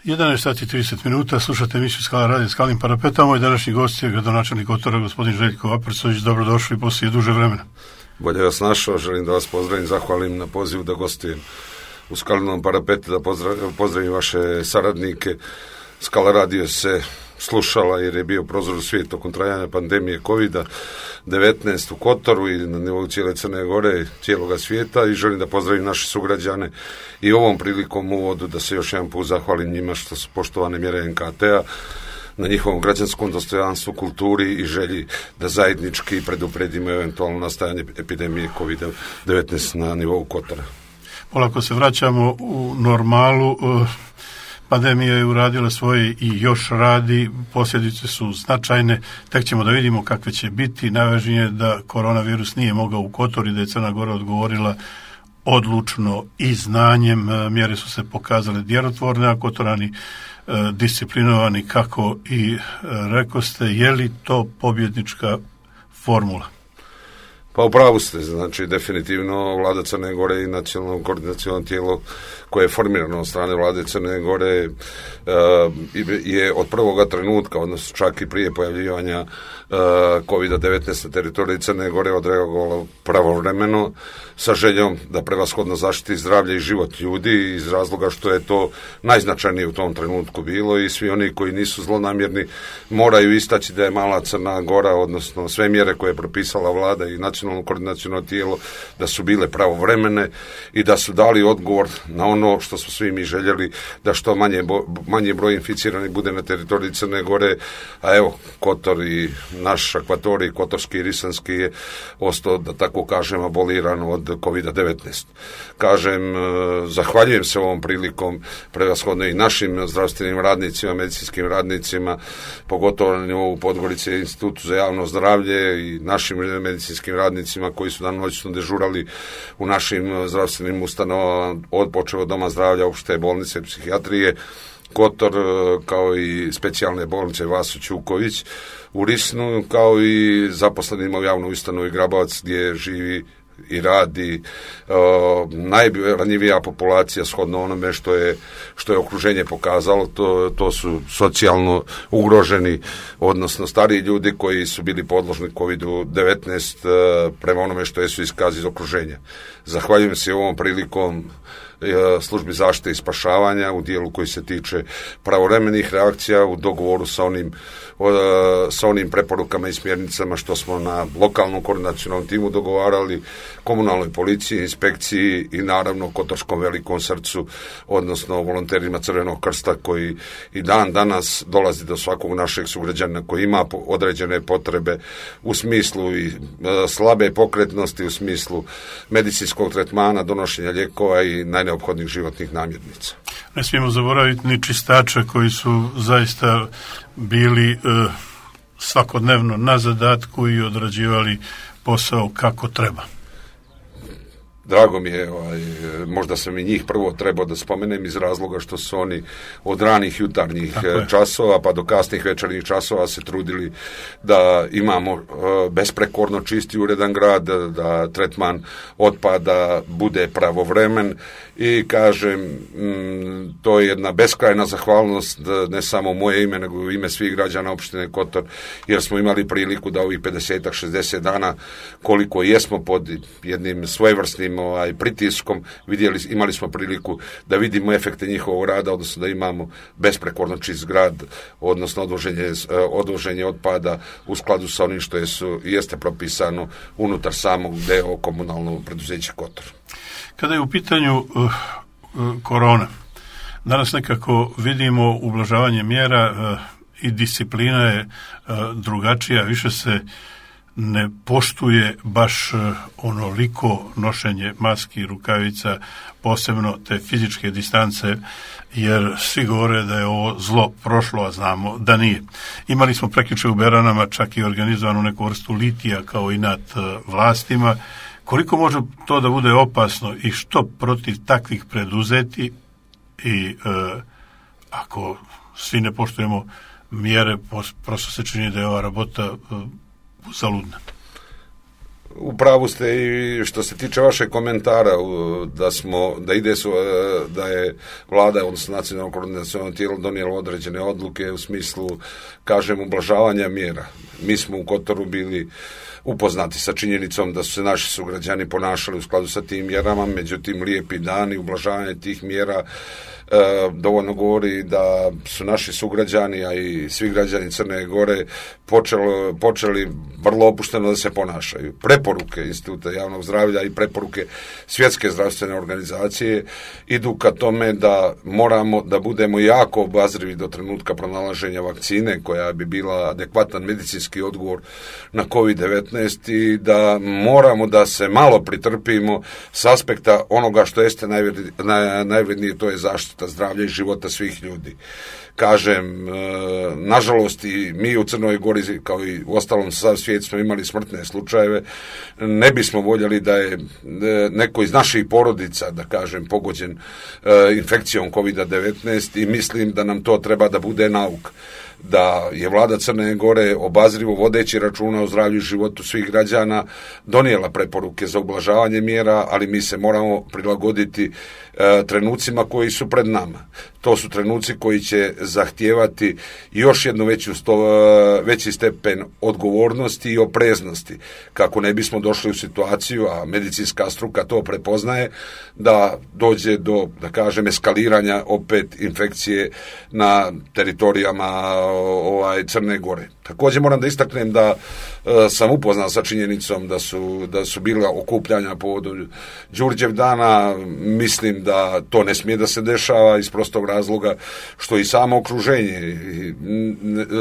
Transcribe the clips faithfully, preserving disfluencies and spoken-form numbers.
jedanaest sati i trideset minuta, slušate emisiju Skala radio Skalnim parapetom. Moj današnji gost je gradonačelnik Kotora, gospodin Željko Aparcović. Dobrodošli poslije duže vremena. Bolje vas našao, želim da vas pozdravim, zahvalim na pozivu da gostujem u Skalnom parapetu, da pozdravim, pozdravim vaše saradnike. Skala radio se slušala jer je bio prozor u svijet tokom trajanja pandemije kovida devetnaest u Kotoru i na nivou cijele Crne Gore, cijeloga svijeta, i želim da pozdravim naše sugrađane i ovom prilikom uvodu da se još jedan put zahvalim njima što su poštovane mjere en ka te a na njihovom građanskom dostojanstvu, kulturi i želji da zajednički predupredimo eventualno nastajanje epidemije kovida devetnaest na nivou Kotora. Polako se vraćamo u normalu. Pandemija je uradila svoje i još radi, posljedice su značajne, tek ćemo da vidimo kakve će biti. Najvažnije je da koronavirus nije mogao u Kotor i da je Crna Gora odgovorila odlučno i znanjem. Mjere su se pokazale djelotvorne, a Kotorani disciplinovani, kako i rekoste. Je li to pobjednička formula? Pa u pravu ste, znači definitivno vlada Crne Gore i nacionalno koordinacionalno tijelo koje je formirano od strane vlade Crne Gore uh, je od prvoga trenutka, odnosno čak i prije pojavljivanja uh, kovida devetnaest na teritoriji Crne Gore odreagovalo pravovremeno sa željom da prevashodno zaštiti zdravlje i život ljudi, iz razloga što je to najznačajnije u tom trenutku bilo, i svi oni koji nisu zlonamjerni moraju istaći da je mala Crna Gora, odnosno sve mjere koje je propisala vlada i nacionalno koordinacionalno tijelo, da su bile pravovremene i da su dali odgovor na ono što smo svi mi željeli, da što manje, manje broj inficiranih bude na teritoriji Crne Gore, a evo Kotor i naš akvatorij, Kotorski i Risanski, je ostao, da tako kažem, aboliran od kovida devetnaest. Kažem, zahvaljujem se ovom prilikom prevashodno i našim zdravstvenim radnicima, medicinskim radnicima, pogotovo na nivou Podgorice, Institutu za javno zdravlje, i našim medicinskim radnicima koji su danonoćno dežurali u našim zdravstvenim ustanovama, od počeo od doma zdravlja, opšte bolnice, psihijatrije Kotor, kao i specijalne bolnice Vaso Ćuković u Risnu, kao i zaposlenima u javnoj ustanovi Grabovac, gdje živi i radi uh, najranjivija populacija shodno onome što je, što je okruženje pokazalo. To, to su socijalno ugroženi, odnosno stariji ljudi koji su bili podložni kovidu devetnaest uh, prema onome što je su iskazi iz okruženja. Zahvaljujem se ovom prilikom službi zaštite i spašavanja u dijelu koji se tiče pravovremenih reakcija u dogovoru sa onim, sa onim preporukama i smjernicama što smo na lokalnom koordinacionalnom timu dogovarali, komunalnoj policiji, inspekciji i naravno Kotorskom velikom srcu, odnosno volonterima Crvenog krsta, koji i dan danas dolazi do svakog našeg sugrađana koji ima određene potrebe u smislu i slabe pokretnosti, u smislu medicinskog tretmana, donošenja lijekova i najneophodnijih životnih namirnica. Ne smijemo zaboraviti ni čistača koji su zaista bili e, svakodnevno na zadatku i odrađivali posao kako treba. Drago mi je, ovaj, možda sam i njih prvo trebao da spomenem iz razloga što su oni od ranih jutarnjih časova pa do kasnih večernjih časova se trudili da imamo uh, besprekorno čisti uredan grad, da, da tretman otpada bude pravovremen, i kažem, m, to je jedna beskrajna zahvalnost, ne samo moje ime, nego u ime svih građana opštine Kotor, jer smo imali priliku da ovih pedeset šezdeset dana, koliko jesmo pod jednim svojevrsnim ovaj, pritiskom, vidjeli, imali smo priliku da vidimo efekte njihovog rada, odnosno da imamo besprekorno čist grad, odnosno odvoženje, odvoženje otpada u skladu sa onim što je su, jeste propisano unutar samog deo komunalnog preduzeća Kotor. Kada je u pitanju uh, uh, korona, danas nekako vidimo ublažavanje mjera uh, i disciplina je uh, drugačija, više se ne poštuje baš uh, onoliko nošenje maski, rukavica, posebno te fizičke distance, jer svi govore da je ovo zlo prošlo, a znamo da nije. Imali smo prekjuče u Beranama čak i organizovanu neku vrstu litija kao i nad uh, vlastima. Koliko može to da bude opasno i što protiv takvih preduzeti, i e, ako svi ne poštujemo mjere, prosto se čini da je ova rabota e, zaludna. U pravu ste i što se tiče vašeg komentara da smo, da ide su, da je vlada, odnosno nacionalno koordinaciono tijelo donijelo određene odluke u smislu, kažem, ublažavanja mjera. Mi smo u Kotoru bili upoznati sa činjenicom da su se naši sugrađani ponašali u skladu sa tim mjerama, međutim lijepi dani, ublažavanje tih mjera E, dovoljno govori da su naši sugrađani, a i svi građani Crne Gore počeli, počeli vrlo opušteno da se ponašaju. Preporuke Instituta javnog zdravlja i preporuke Svjetske zdravstvene organizacije idu ka tome da moramo da budemo jako obazrivi do trenutka pronalaženja vakcine koja bi bila adekvatan medicinski odgovor na kovid devetnaest i da moramo da se malo pritrpimo s aspekta onoga što jeste najvrednije, naj, najvrednije, to je zaštita zdravlja i života svih ljudi. Kažem, nažalost i mi u Crnoj Gori, kao i u ostalom sav svijet, smo imali smrtne slučajeve. Ne bismo voljeli da je neko iz naših porodica, da kažem, pogođen infekcijom kovid devetnaest i mislim da nam to treba da bude nauk. Da je vlada Crne Gore obazrivo vodeći računa o zdravlju i životu svih građana donijela preporuke za ublažavanje mjera, ali mi se moramo prilagoditi e, trenucima koji su pred nama. To su trenuci koji će zahtijevati još jednu veću sto, veći stepen odgovornosti i opreznosti, kako ne bismo došli u situaciju, a medicinska struka to prepoznaje, da dođe do, da kažem, eskaliranja opet infekcije na teritorijama ovaj Crne Gore. Također moram da istaknem da e, sam upoznat sa činjenicom da su, da su bila okupljanja povodom Đurđev dana. Mislim da to ne smije da se dešava iz prostog razloga što i samo okruženje,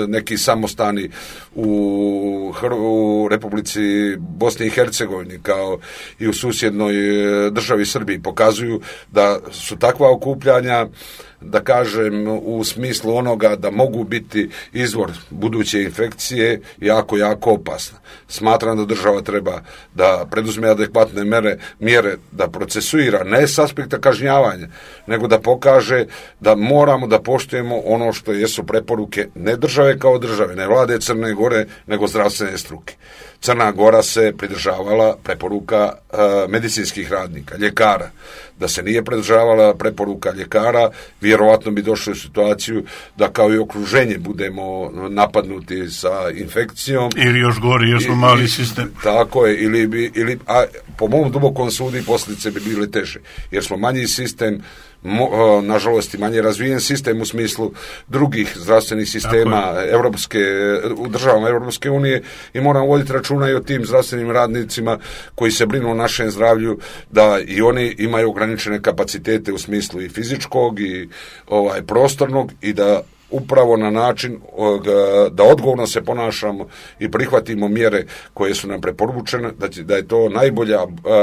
neki samostani u, u Republici Bosne i Hercegovini kao i u susjednoj državi Srbiji pokazuju da su takva okupljanja, da kažem, u smislu onoga da mogu biti izvor buduće infekcije jako, jako opasna. Smatram da država treba da preduzme adekvatne mere, mjere da procesuira, ne s aspekta kažnjavanja, nego da pokaže da moramo da poštujemo ono što jesu preporuke ne države kao države, ne vlade Crne Gore, nego zdravstvene struke. Crna Gora se pridržavala preporuka uh, medicinskih radnika, ljekara. Da se nije pridržavala preporuka ljekara, vjerovatno bi došli u situaciju da kao i okruženje budemo napadnuti sa infekcijom. Ili još gori, još smo mali sistem. Tako je, ili bi, ili, a po mom dubokom sudu posljedice bi bile teže, jer smo manji sistem, Mo, nažalost i manje razvijen sistem u smislu drugih zdravstvenih sistema evropske, u državama Europske unije i moramo voditi računa i o tim zdravstvenim radnicima koji se brinu o našem zdravlju, da i oni imaju ograničene kapacitete u smislu i fizičkog i ovaj prostornog i da upravo na način da odgovorno se ponašamo i prihvatimo mjere koje su nam preporučene, da, da je to najbolja,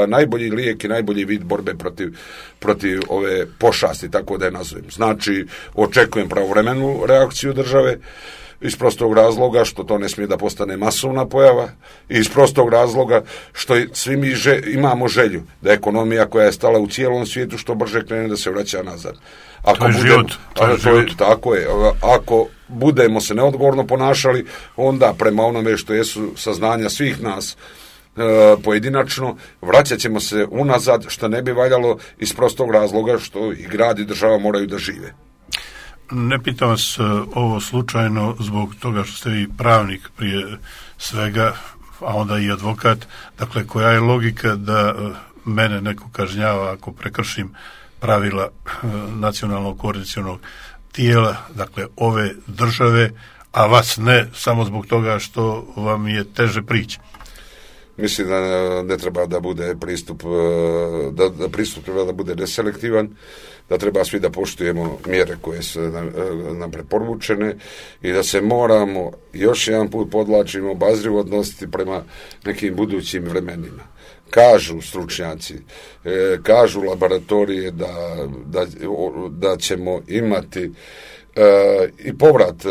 najbolji lijek i najbolji vid borbe protiv, protiv ove pošasti, tako da je nazovem. Znači, očekujem pravovremenu reakciju države, iz prostog razloga što to ne smije da postane masovna pojava i iz prostog razloga što svi mi že, imamo želju da ekonomija koja je stala u cijelom svijetu što brže krene da se vraća nazad. Ako to je budemo, život. To je to je, tako je. Ako budemo se neodgovorno ponašali, onda prema onome što jesu saznanja svih nas e, pojedinačno, vraćat ćemo se unazad, što ne bi valjalo iz prostog razloga što i grad i država moraju da žive. Ne pitam vas ovo slučajno zbog toga što ste vi pravnik prije svega, a onda i advokat. Dakle, koja je logika da mene neko kažnjava ako prekršim pravila nacionalnog koordinacionog tijela, dakle ove države, a vas ne, samo zbog toga što vam je teže prići? Mislim da ne treba da bude pristup, da, da pristup treba da bude neselektivan, da treba svi da poštujemo mjere koje su nam, nam preporučene i da se moramo, još jedan put podlačimo, obazrivo odnositi prema nekim budućim vremenima. Kažu stručnjaci, e, kažu laboratorije da, da, da ćemo imati e, i povrat e,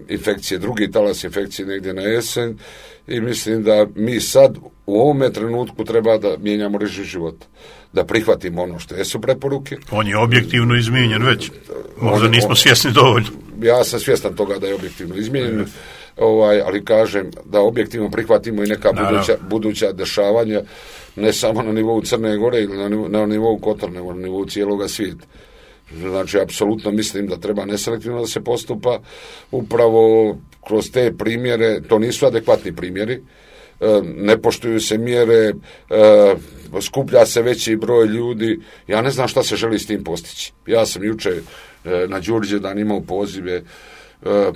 infekcije, drugi talas infekcije negdje na jesen i mislim da mi sad u ovome trenutku treba da mijenjamo režim života, da prihvatimo ono što jesu preporuke. On je objektivno izmijenjen već, možda nismo svjesni dovoljno. Ja sam svjestan toga da je objektivno izmijenjen, ovaj, ali kažem da objektivno prihvatimo i neka buduća, buduća dešavanja, ne samo na nivou Crne Gore ili na nivou, na nivou Kotora, nego na nivou cijeloga svijeta. Znači, apsolutno mislim da treba neselektivno da se postupa, upravo kroz te primjere, to nisu adekvatni primjeri, ne poštuju se mjere, skuplja se veći broj ljudi, ja ne znam šta se želi s tim postići. Ja sam juče na Đurđevdan imao pozive,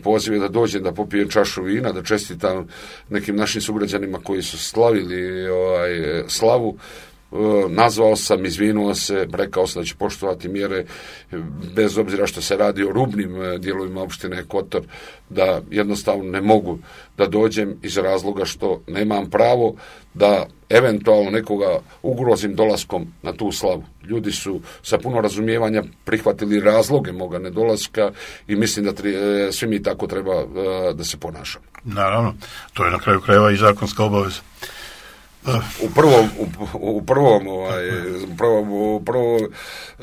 pozive da dođem da popijem čašu vina, da čestitam nekim našim sugrađanima koji su slavili ovaj, slavu. Nazvao sam, izvinuo se, rekao sam da ću poštovati mjere, bez obzira što se radi o rubnim dijelovima opštine Kotor, da jednostavno ne mogu da dođem iz razloga što nemam pravo da eventualno nekoga ugrozim dolaskom na tu slavu. Ljudi su sa puno razumijevanja prihvatili razloge moga nedolaska i mislim da tri, svi mi tako treba da se ponašamo. Naravno, to je na kraju krajeva i zakonska obaveza. U prvom, u, u prvom, ovaj, u prvom, u prvom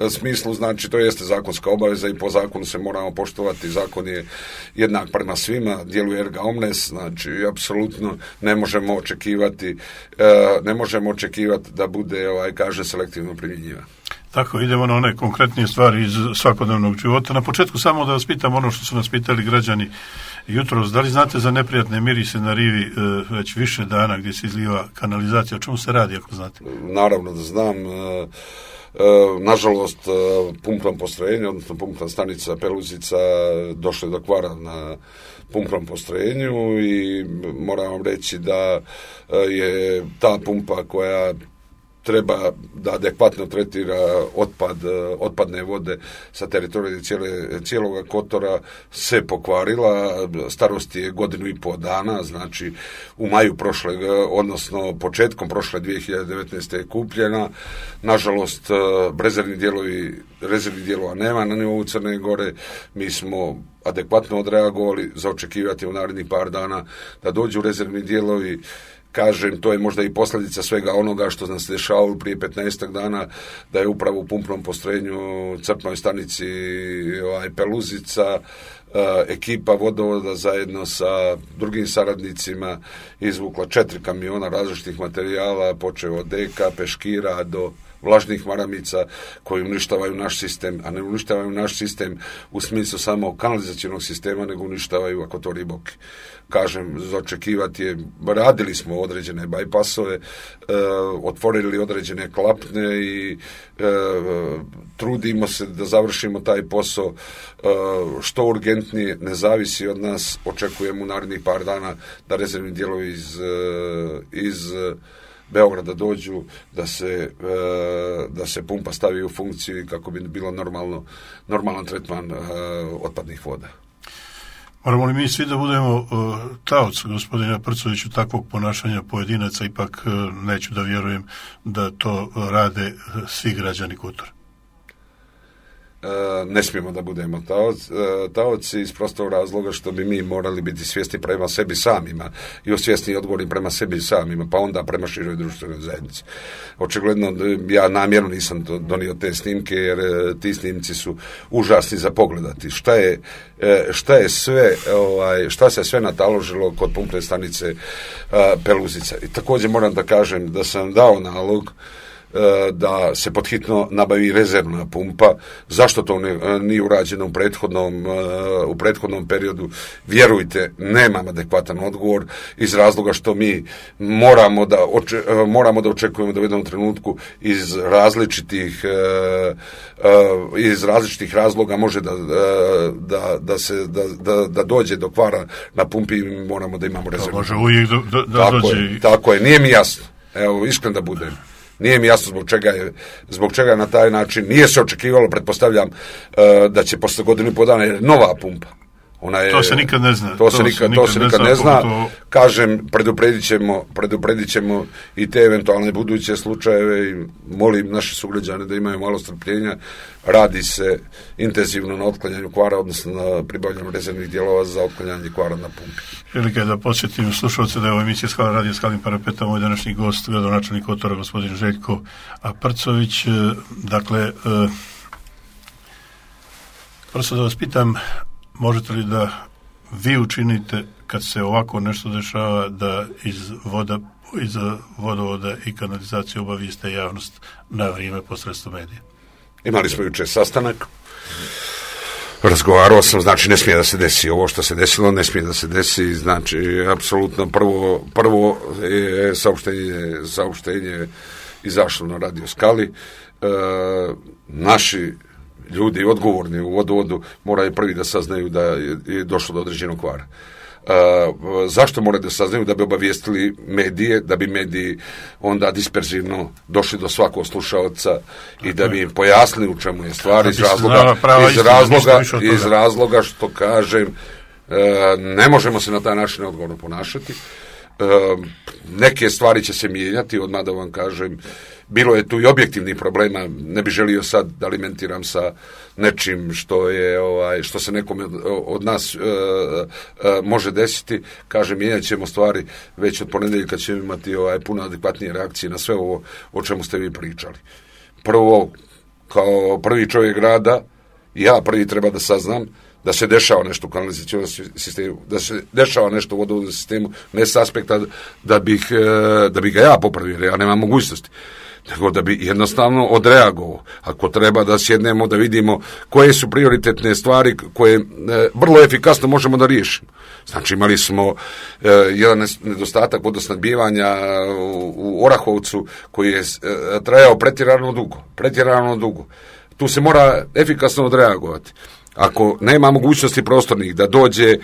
smislu, znači, to jeste zakonska obaveza i po zakonu se moramo poštovati. Zakon je jednak prema svima, djeluje erga omnes, znači, apsolutno ne možemo očekivati, ne možemo očekivati da bude, ovaj, kaže, selektivno primjenjivan. Tako, idemo na one konkretnije stvari iz svakodnevnog života. Na početku samo da vas pitam ono što su nas pitali građani jutros. Da li znate za neprijatne mirise na rivi e, već više dana gdje se izliva kanalizacija? O čemu se radi, ako znate? Naravno da znam. E, e, nažalost, pumpno postrojenje, odnosno pumpna stanica Peluzica došlo je do kvara na pumpnom postrojenju i moram vam reći da je ta pumpa koja treba da adekvatno tretira otpad, otpadne vode sa teritorija cijele, cijeloga Kotora se pokvarila. Starost je godinu i pol dana, znači u maju prošle, odnosno početkom prošle dvije hiljade devetnaeste je kupljena. Nažalost, rezervni dijelovi, rezervni dijelova nema na nivou Crne Gore. Mi smo adekvatno odreagovali, za očekivati u narednih par dana da dođu rezervni dijelovi. Kažem, to je možda i posljedica svega onoga što nam se dešavalo prije petnaestak dana, da je upravo u pumpnom postrojenju crpnoj stanici ovaj, Peluzica ekipa vodovoda zajedno sa drugim saradnicima izvukla četiri kamiona različitih materijala, počeo od deka, peškira do vlažnih maramica koji uništavaju naš sistem, a ne uništavaju naš sistem u smislu samo kanalizacijnog sistema, nego uništavaju akvatorij Boki. Kažem, za očekivati je, radili smo određene bajpasove, e, otvorili određene klapne i e, trudimo se da završimo taj posao e, što urgentnije, ne zavisi od nas, očekujemo u narednih par dana da rezervni dijelovi iz, iz Beograda dođu, da se, da se pumpa stavi u funkciju kako bi bilo normalno, normalan tretman otpadnih voda. Moramo li mi svi da budemo uh, taoci, gospodina Prcoviću, takvog ponašanja pojedinaca? Ipak uh, neću da vjerujem da to rade uh, svi građani Kotora. Ne smijemo da budemo taoci, taoci iz prostog razloga što bi mi morali biti svjesni prema sebi samima i osvjesni i odgovorni prema sebi samima, pa onda prema široj društvenoj zajednici. Očigledno, ja namjerno nisam donio te snimke, jer ti snimci su užasni za pogledati. Šta je, šta je sve, ovaj, šta se sve nataložilo kod pumpne stanice Peluzica. I također moram da kažem da sam dao nalog da se podhitno nabavi rezervna pumpa. Zašto to ne, nije urađeno u prethodnom, u prethodnom periodu? Vjerujte, nemam adekvatan odgovor iz razloga što mi moramo da, oče, moramo da očekujemo da u jednom trenutku iz različitih iz različitih razloga može da, da, da, se, da, da, da dođe do kvara na pumpi i moramo da imamo rezervnu. Može uvijek da, da, da tako dođe. Je, tako je, nije mi jasno. Evo, iskren da budem. Nije mi jasno zbog čega je, zbog čega na taj način. Nije se očekivalo, pretpostavljam, da će posle godinu i po dana je nova pumpa. Ona je, to se nikad ne zna. To, to se nikad, nikad, to se nikad ne zna. To... Kažem, predupredit ćemo, predupredit ćemo i te eventualne buduće slučajeve i molim naše sugrađane da imaju malo strpljenja. Radi se intenzivno na otklanjanju kvara, odnosno na pribavljanju rezervnih dijelova za otklanjanje kvara na pumpi. Prilika je da podsjetim slušalce da je ovo emisija Skala radio Skalnim parapetom, moj današnji gost, gradonačelnik Kotora, gospodin Željko Prcović. Dakle, prosto da vas pitam, možete li da vi učinite kad se ovako nešto dešava da iz voda iz vodovoda i kanalizacije obavijeste javnost na vrijeme posredstvom medija. Imali smo jučer sastanak, razgovarao sam, znači ne smije da se desi ovo što se desilo, ne smije da se desi, znači apsolutno prvo, prvo je saopštenje, saopštenje izašlo na Radio Skali, e, naši ljudi odgovorni u vodovodu moraju prvi da saznaju da je, je došlo do određenog kvara. Uh, zašto moraju da saznaju? Da bi obavijestili medije, da bi mediji onda disperzivno došli do svakog slušaoca i da bi im pojasnili u čemu je stvar, iz razloga, iz razloga, iz razloga što kažem, uh, ne možemo se na taj način odgovorno ponašati. Uh, neke stvari će se mijenjati, odmah da vam kažem, bilo je tu i objektivnih problema, ne bih želio sad da alimentiram sa nečim što je ovaj što se nekome od nas uh, uh, može desiti, kažem, mijenjat ćemo stvari već od ponedjeljka, ćemo imati ovaj puno adekvatnije reakcije na sve ovo o čemu ste vi pričali. Prvo, kao prvi čovjek grada, ja prvi treba da saznam da se dešava nešto u kanalizacionom sistemu, da se dešava nešto u vodovodnom sistemu, ne s aspekta da bih, da bih ga ja popravio, jer ja nemam mogućnosti, nego da bi jednostavno odreagovao. Ako treba da sjednemo, da vidimo koje su prioritetne stvari koje e, vrlo efikasno možemo da riješimo. Znači imali smo e, jedan nedostatak vodosnabdijevanja u, u Orahovcu koji je e, trajao pretjerano dugo, pretjerano dugo. Tu se mora efikasno odreagovati. Ako nema mogućnosti prostornih da dođe,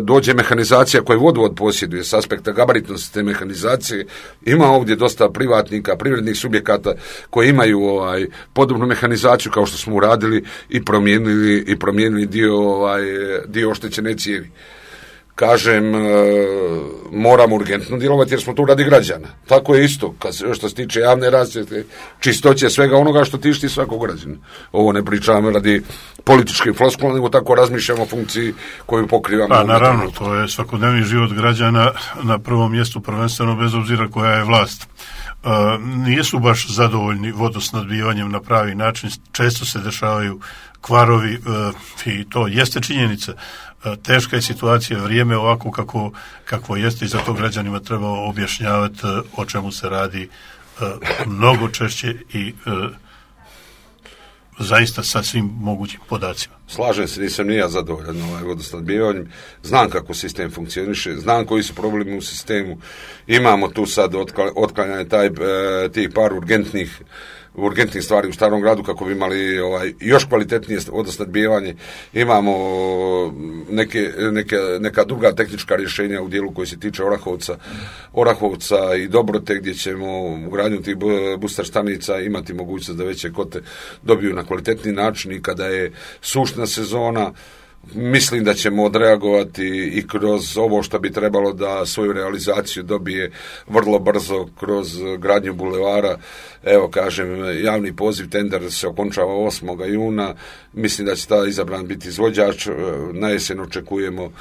dođe mehanizacija koju vodovod posjeduje s aspekta gabaritnosti te mehanizacije, ima ovdje dosta privatnika, privrednih subjekata koji imaju ovaj podobnu mehanizaciju kao što smo uradili i promijenili i promijenili dio ovaj dio oštećene cijevi. Kažem, e, moramo urgentno djelovati jer smo tu radi građana. Tako je isto, kad se, što se tiče javne rasvjete, čistoće svega onoga što tišti svakog građana. Ovo ne pričamo radi političke floskule, nego tako razmišljamo o funkciji koju pokrivamo. Pa naravno, to je svakodnevni život građana na prvom mjestu, prvenstveno bez obzira koja je vlast. Uh, nisu baš zadovoljni vodosnabdijevanjem na pravi način, često se dešavaju kvarovi uh, i to jeste činjenica. Uh, teška je situacija, vrijeme ovako kako, kako jeste i zato građanima treba objašnjavati uh, o čemu se radi uh, mnogo češće i uh, zaista sa svim mogućim podacima. Slažem se, nisam ni ja zadovoljan ovaj vodosnabdijevanjem. Znam kako sistem funkcioniše, znam koji su problemi u sistemu. Imamo tu sad otklanjanje taj, tih par urgentnih urgentnih stvari u Starom gradu kako bi imali ovaj još kvalitetnije vodosnabdijevanje. Imamo neke, neke, neka druga tehnička rješenja u dijelu koji se tiče Orahovca, Orahovca i Dobrote, gdje ćemo u gradnju tih booster stanica imati mogućnost da veće kote dobiju na kvalitetni način i kada je sušna sezona. Mislim da ćemo odreagovati i kroz ovo što bi trebalo da svoju realizaciju dobije vrlo brzo kroz gradnju bulevara. Evo, kažem, javni poziv, tender se okončava osmog juna. Mislim da će ta izabran biti izvođač. Na jesen očekujemo uh,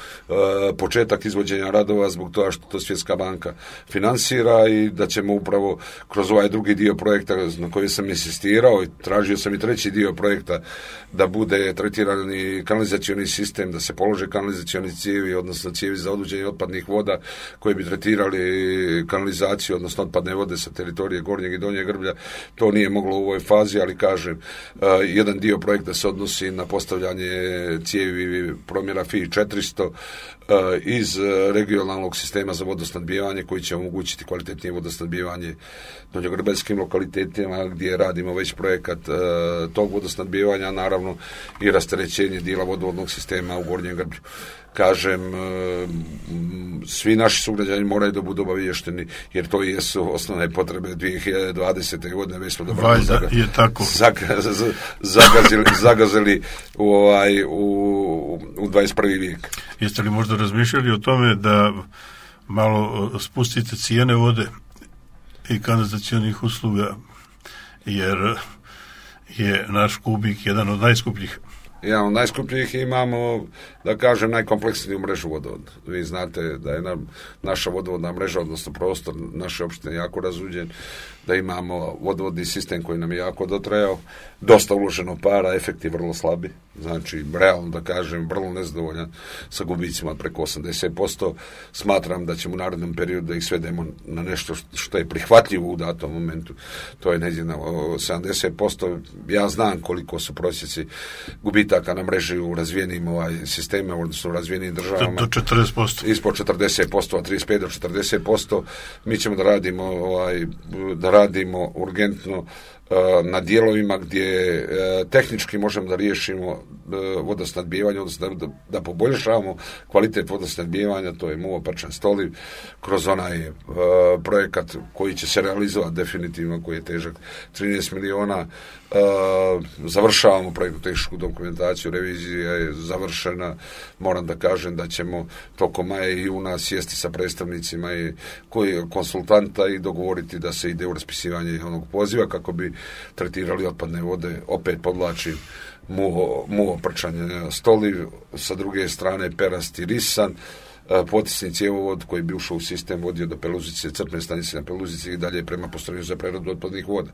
početak izvođenja radova zbog toga što to Svjetska banka finansira i da ćemo upravo kroz ovaj drugi dio projekta na koji sam insistirao i tražio sam i treći dio projekta da bude tretirani kanalizacioni sistem, da se polože kanalizacioni cijevi, odnosno cijevi za odvođenje otpadnih voda koji bi tretirali kanalizaciju, odnosno otpadne vode sa teritorije Gornjeg i Donjeg Grblja. To nije moglo u ovoj fazi, ali kažem, uh, jedan dio projekta se odnosi na postavljanje cijevi promjera F I četiristo uh, iz regionalnog sistema za vodosnabdijevanje koji će omogućiti kvalitetnije vodosnabdijevanje donjogrbelskim lokalitetima gdje radimo već projekat uh, tog vodosnabdijevanja, naravno i rasterećenje dijela vodovodnog sistema u Gornjem Grblju. Kažem, svi naši sugrađani moraju da budu obaviješteni, jer to i jesu osnovne potrebe dvije hiljade dvadesete. godine, već smo dobro zaga, je tako. Zaga, zagazili, zagazili u, ovaj, u, u dvadeset prvi vijek. Jeste li možda razmišljali o tome da malo spustite cijene vode i kanalizacionih usluga, jer je naš kubik jedan od najskupljih jedan od najskupljih, imamo, da kažem, najkompleksniju mrežu vodovoda. Vi znate da je nam, naša vodovodna mreža, odnosno prostor naše opštine jako razuđen, da imamo vodovodni sistem koji nam je jako dotrajao, dosta uloženo para, efekti vrlo slabi, znači, realno da kažem, vrlo nezadovoljan sa gubicima preko osamdeset posto. Smatram da ćemo u narednom periodu da ih svedemo na nešto što je prihvatljivo u datom momentu. To je negdje na sedamdeset posto. Ja znam koliko su prosjeci gubitaka na mreži u razvijenim ovaj, sistemima, odnosno u razvijenim državama. Do četrdeset posto. Ispod četrdeset posto, a trideset pet do četrdeset posto. Mi ćemo da radimo, ovaj, da radimo urgentno na dijelovima gdje tehnički možemo da riješimo vodosnadbijevanje, odnosno da, da poboljšavamo kvalitet vodosnadbijevanja, to je Muo Prčan Stoliv, kroz onaj uh, projekat koji će se realizovati definitivno, koji je težak trinaest miliona. Uh, završavamo projektnu tehničku dokumentaciju, revizija je završena, moram da kažem da ćemo tokom maja i juna sjesti sa predstavnicima i koji konsultanta i dogovoriti da se ide u raspisivanje onog poziva kako bi tretirali otpadne vode, opet podlačim Muo, Muo Prčan Stoliv, sa druge strane Perast i Risan, potisni cjevovod koji bi ušao u sistem, vodio do Peluzice, crpne stanice na Peluzici i dalje prema postrojenju za preradu otpadnih voda.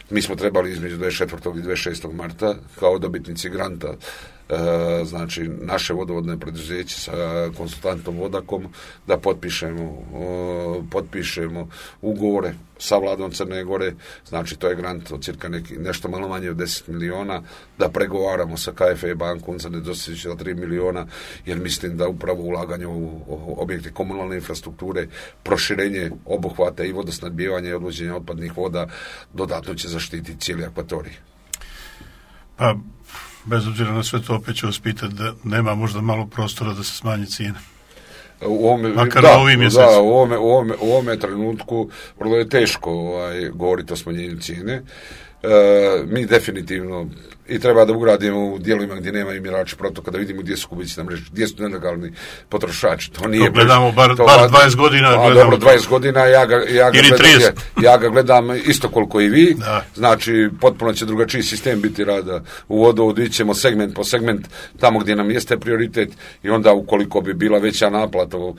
Mi smo trebali između dvadeset četvrtog i dvadeset šestog marta kao dobitnici granta, e, znači naše vodovodne preduzeće sa konsultantom Vodakom, da potpišemo, o, potpišemo ugovore sa vladom Crne Gore, znači to je grant od cirka neki, nešto malo manje od deset miliona, da pregovaramo sa K F E bankom za nedostajuće za tri miliona, jer mislim da upravo ulaganje u objekte komunalne infrastrukture, proširenje obuhvata i vodosnadbijevanja i odvođenja otpadnih voda dodatno će zaštiti cijeli akvatorij. Pa, bez obzira na sve to, opet ću vas pitati da nema možda malo prostora da se smanji cijene. U ovome, Makar da, ovim da, u ovome, u ovome, u ovome trenutku vrlo je teško ovaj, govoriti o smanjenju cijene. E, mi definitivno i treba da ugradimo u dijelovima gdje nema mjerači protoka, da vidimo gdje su kubici na mreži, gdje su nelegalni potrošači. To nije, to gledamo bar, to, bar dvadeset godina. A, gledamo dobro, dvadeset godina, ja ga, ja, ga gledam, ja ga gledam isto koliko i vi, da. Znači potpuno će drugačiji sistem biti rada u vodovodu, ićemo segment po segment tamo gdje nam jeste prioritet i onda ukoliko bi bila veća naplata u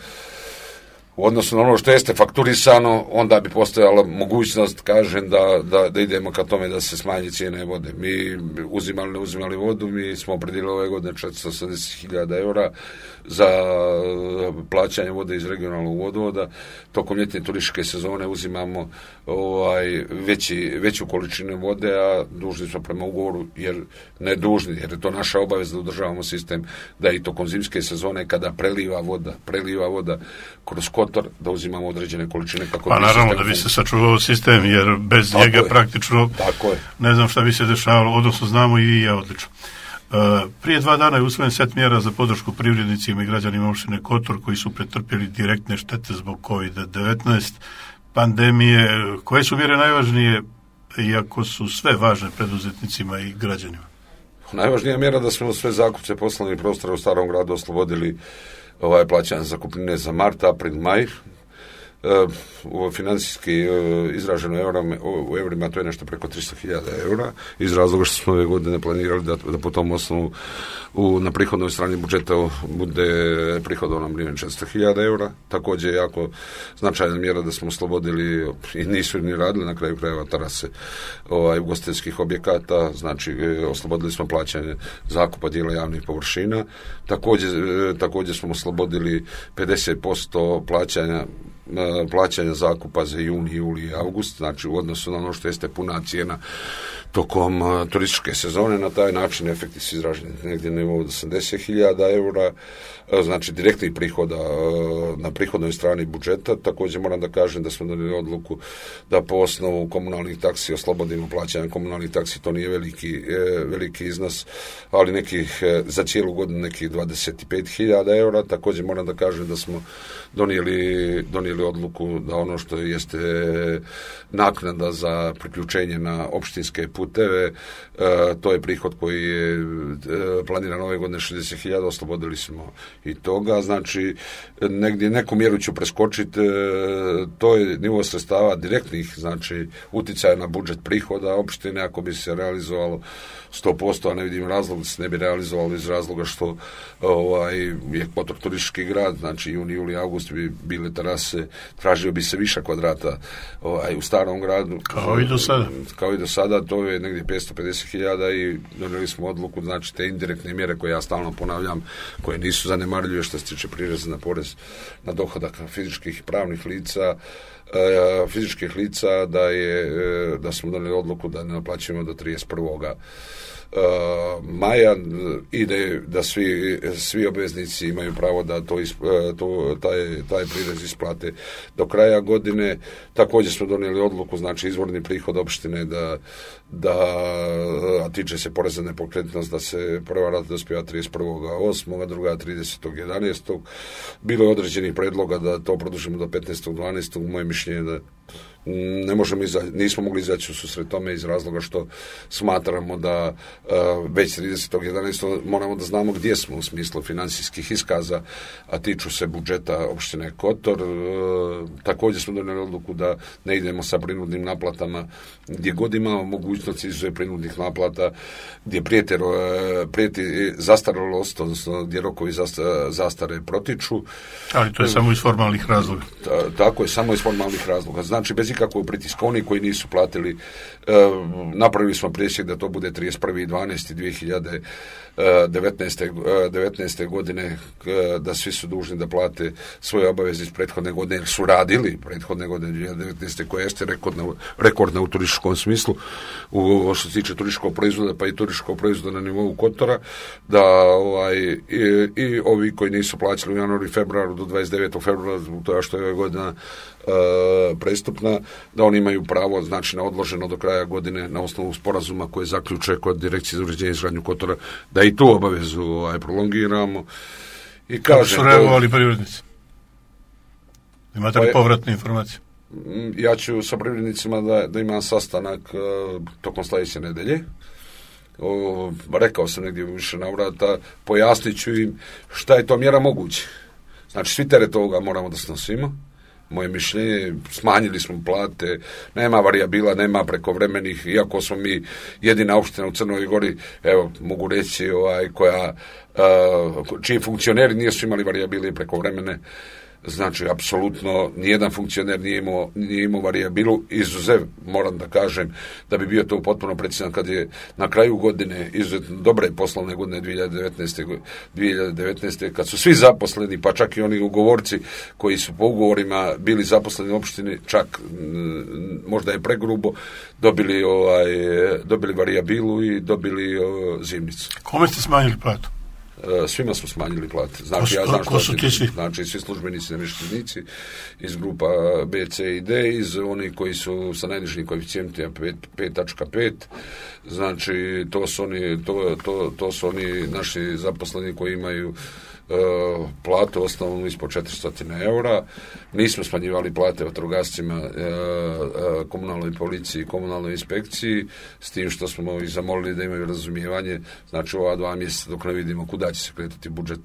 odnosu na ono što jeste fakturisano, onda bi postojala mogućnost, kažem, da, da, da idemo ka tome da se smanji cijene vode. Mi uzimali, ne uzimali vodu, mi smo opredjelili ove godine četiristo osamdeset hiljada eura za plaćanje vode iz regionalnog vodovoda. Tokom ljetne turističke sezone uzimamo ovaj, veći, veću količinu vode, a dužni smo prema ugovoru, jer ne dužni, jer je to naša obaveza da održavamo sistem, da i tokom zimske sezone kada preliva voda, preliva voda kroz kotor, da uzimamo određene količine. Kako pa naravno da bi se sačuvao sistem, jer bez tako njega je. praktično tako je. Ne znam šta bi se dešavalo, odnosno znamo i ja odlično. Uh, prije dva dana je usvojen set mjera za podršku privrednicima i građanima opštine Kotor koji su pretrpjeli direktne štete zbog kovid devetnaest pandemije. Koje su mjere najvažnije, iako su sve važne preduzetnicima i građanima? Najvažnija mjera da smo sve zakupce poslovnih prostora u Starom gradu oslobodili ovaj plaćanje zakupnine za mart, april, maj. Uh, financijski uh, izraženo eurama, u eurima to je nešto preko tristo hiljada eura, iz razloga što smo ove godine planirali da, da po tom osnovu u, na prihodnoj strani budžeta bude prihodovno milijon četiristo hiljada eura. Također je jako značajna mjera da smo oslobodili i nisu ni radili na kraju krajeva terase ovaj, ugostiteljskih objekata, znači oslobodili smo plaćanje zakupa dijela javnih površina. Također, također smo oslobodili pedeset posto plaćanja plaćanja zakupa za juni, juli i august, znači u odnosu na ono što jeste puna cijena tokom uh, turističke sezone. Na taj način efekti su izraženi negdje na nivou osamdeset hiljada eura, uh, znači direktnih prihoda uh, na prihodnoj strani budžeta. Također moram da kažem da smo donijeli odluku da po osnovu komunalnih taksi oslobodimo plaćanje komunalnih taksi, to nije veliki, uh, veliki iznos, ali nekih uh, za cijelu godinu nekih dvadeset pet hiljada eura. Također moram da kažem da smo donijeli, donijeli donijeli odluku da ono što jeste naknada za priključenje na opštinske puteve, to je prihod koji je planiran ove godine šezdeset hiljada, oslobodili smo i toga, znači negdje neku mjeru ću preskočiti, to je nivo sredstava direktnih, znači utjecaja na budžet prihoda opštine, ako bi se realizovalo sto posto, a ne vidim razlog da se ne bi realizovalo iz razloga što ovaj, je Kotor turistički grad, znači juni, juli, august bi bile terase, tražio bi se više kvadrata ovaj, u starom gradu. Kao i do sada. Kao i do sada, to je negdje petsto pedeset hiljada i donijeli smo odluku, znači te indirektne mjere koje ja stalno ponavljam, koje nisu zanemarljive što se tiče prireza na porez na dohodak fizičkih i pravnih lica, fizičkih lica, da je da smo donijeli odluku da ne naplaćujemo do trideset prvog maja i da, da svi, svi obveznici imaju pravo da to, isp, to taj, taj prirez isplate do kraja godine. Također smo donijeli odluku, znači izvorni prihod opštine da, da a tiče se poreza na nepokretnost, da se prva rata dospijeva trideset prvog osmog, druga tridesetog jedanaestog Bilo je određenih predloga da to produžimo do petnaestog dvanaestog Moje mišljenje da ne možemo iza, nismo mogli izaći u susret tome iz razloga što smatramo da uh, već tridesetog jedanaestog moramo da znamo gdje smo u smislu financijskih iskaza, a tiču se budžeta opštine Kotor. Uh, također smo donijeli odluku da ne idemo sa prinudnim naplatama gdje god imamo mogućnost izuzev prinudnih naplata, gdje prijeti, uh, prijeti zastaralost, odnosno gdje rokovi zasta, zastare protiču. Ali to je samo iz formalnih razloga. Ta, tako je, samo iz formalnih razloga. Znači, bez ikakvog pritiska, oni koji nisu platili, e, napravili smo presjek da to bude trideset prvi dvanaesti dvije hiljade devetnaeste godine, e, da svi su dužni da plate svoje obaveze iz prethodne godine, jer su radili prethodne godine dvije hiljade devetnaeste koja jeste rekordna, rekordna u turističkom smislu, u što se tiče turističkog proizvoda, pa i turističkog proizvoda na nivou Kotora, da ovaj, i, i ovi koji nisu plaćali u januaru i februaru do dvadeset devetog februara, to je što je ove godina Uh, prestupna, da oni imaju pravo, znači na odloženo do kraja godine na osnovu sporazuma koje zaključe kod Direkcije za uređenje i izgradnju Kotora, da i tu obavezu ovaj, prolongiramo. I kako su reagovali privrednici? Imate li povratne informacije? Ja ću sa privrednicima da, da imam sastanak uh, tokom sljedeće nedelje. O, rekao sam negdje više navrata, pojasnit ću im šta je to mjera moguće. Znači svi teret ovoga moramo da snosimo. Moje mišljenje, smanjili smo plate, nema varijabila, nema prekovremenih, iako smo mi jedina opština u Crnoj Gori, evo, mogu reći, ovaj, koja, uh, čiji funkcioneri nisu imali varijabile i prekovremene. Znači, apsolutno, nijedan funkcioner nije imao, nije imao varijabilu, izuzev, moram da kažem, da bi bio to potpuno precizan kad je na kraju godine, izuzetno dobre poslovne godine dvije hiljade devetnaeste kad su svi zaposleni, pa čak i oni ugovorci koji su po ugovorima bili zaposleni u opštini, čak možda je pregrubo, dobili, ovaj, dobili varijabilu i dobili o, zimnicu. Kome ste smanjili platu? Svima smo smanjili plate. Znači, ko su, ja znam ko su ti svi? Znači, svi službenici, namještenici iz grupa B, C i D, iz oni koji su sa najnižim koeficijentima pet tačka pet. Znači, to su oni, to, to, to su oni naši zaposleni koji imaju Uh, platu osnovnu ispod četiristo eura. Nismo smanjivali plate vatrogascima, uh, uh, komunalnoj policiji i komunalnoj inspekciji, s tim što smo i zamolili da imaju razumijevanje, znači ova dva mjeseca dok ne vidimo kuda će se kretati budžet,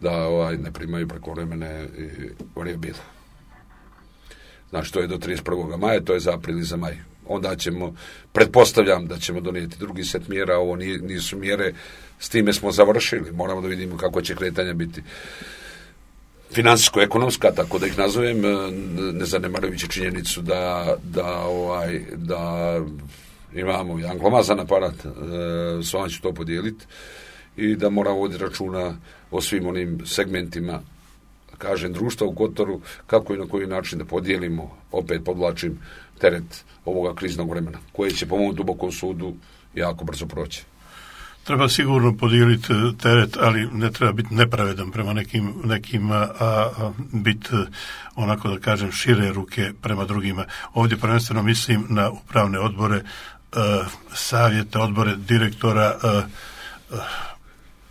da ovaj, ne primaju prekovremene varijabile. Znači to je do trideset prvog maja, to je za april i za maj. Onda ćemo, pretpostavljam da ćemo donijeti drugi set mjera, ovo nisu mjere, s time smo završili, moramo da vidimo kako će kretanja biti financijsko-ekonomska, tako da ih nazovem, ne zanemarujući činjenicu da, da, ovaj, da imamo jedan glomazan aparat, s vama ću to podijeliti, i da moramo voditi računa o svim onim segmentima, kažem, društva u Kotoru, kako i na koji način da podijelimo, opet podvlačim, teret ovoga kriznog vremena, koje će po mom dubokom sudu jako brzo proći. Treba sigurno podijeliti teret, ali ne treba biti nepravedan prema nekim, nekim a, a biti, onako da kažem, šire ruke prema drugima. Ovdje prvenstveno mislim na upravne odbore, a, savjete, odbore direktora. A, a,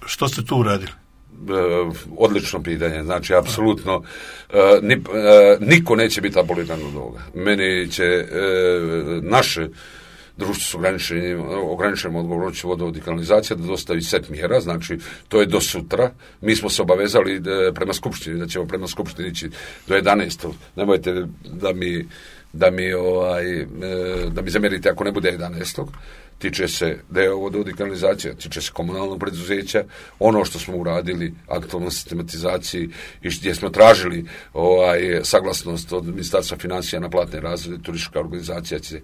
što ste tu uradili? odlično pitanje, znači apsolutno ni, niko neće biti aboliran od ovoga. Meni će naše društvo s ograničenim, ograničenom odgovornošću vodovod i kanalizacija da dostavi set mjera, znači to je do sutra. Mi smo se obavezali da, prema skupštini, da ćemo prema skupštini ići do jedanaestog. Nemojte da mi da mi ovaj da mi zamjerite ako ne bude jedanaestog. Tiče se deo vodovod i kanalizacija, tiče se komunalnog preduzeća, ono što smo uradili aktualno sistematizaciji i gdje smo tražili ovaj saglasnost od Ministarstva financija na platne razrede, turistička organizacija će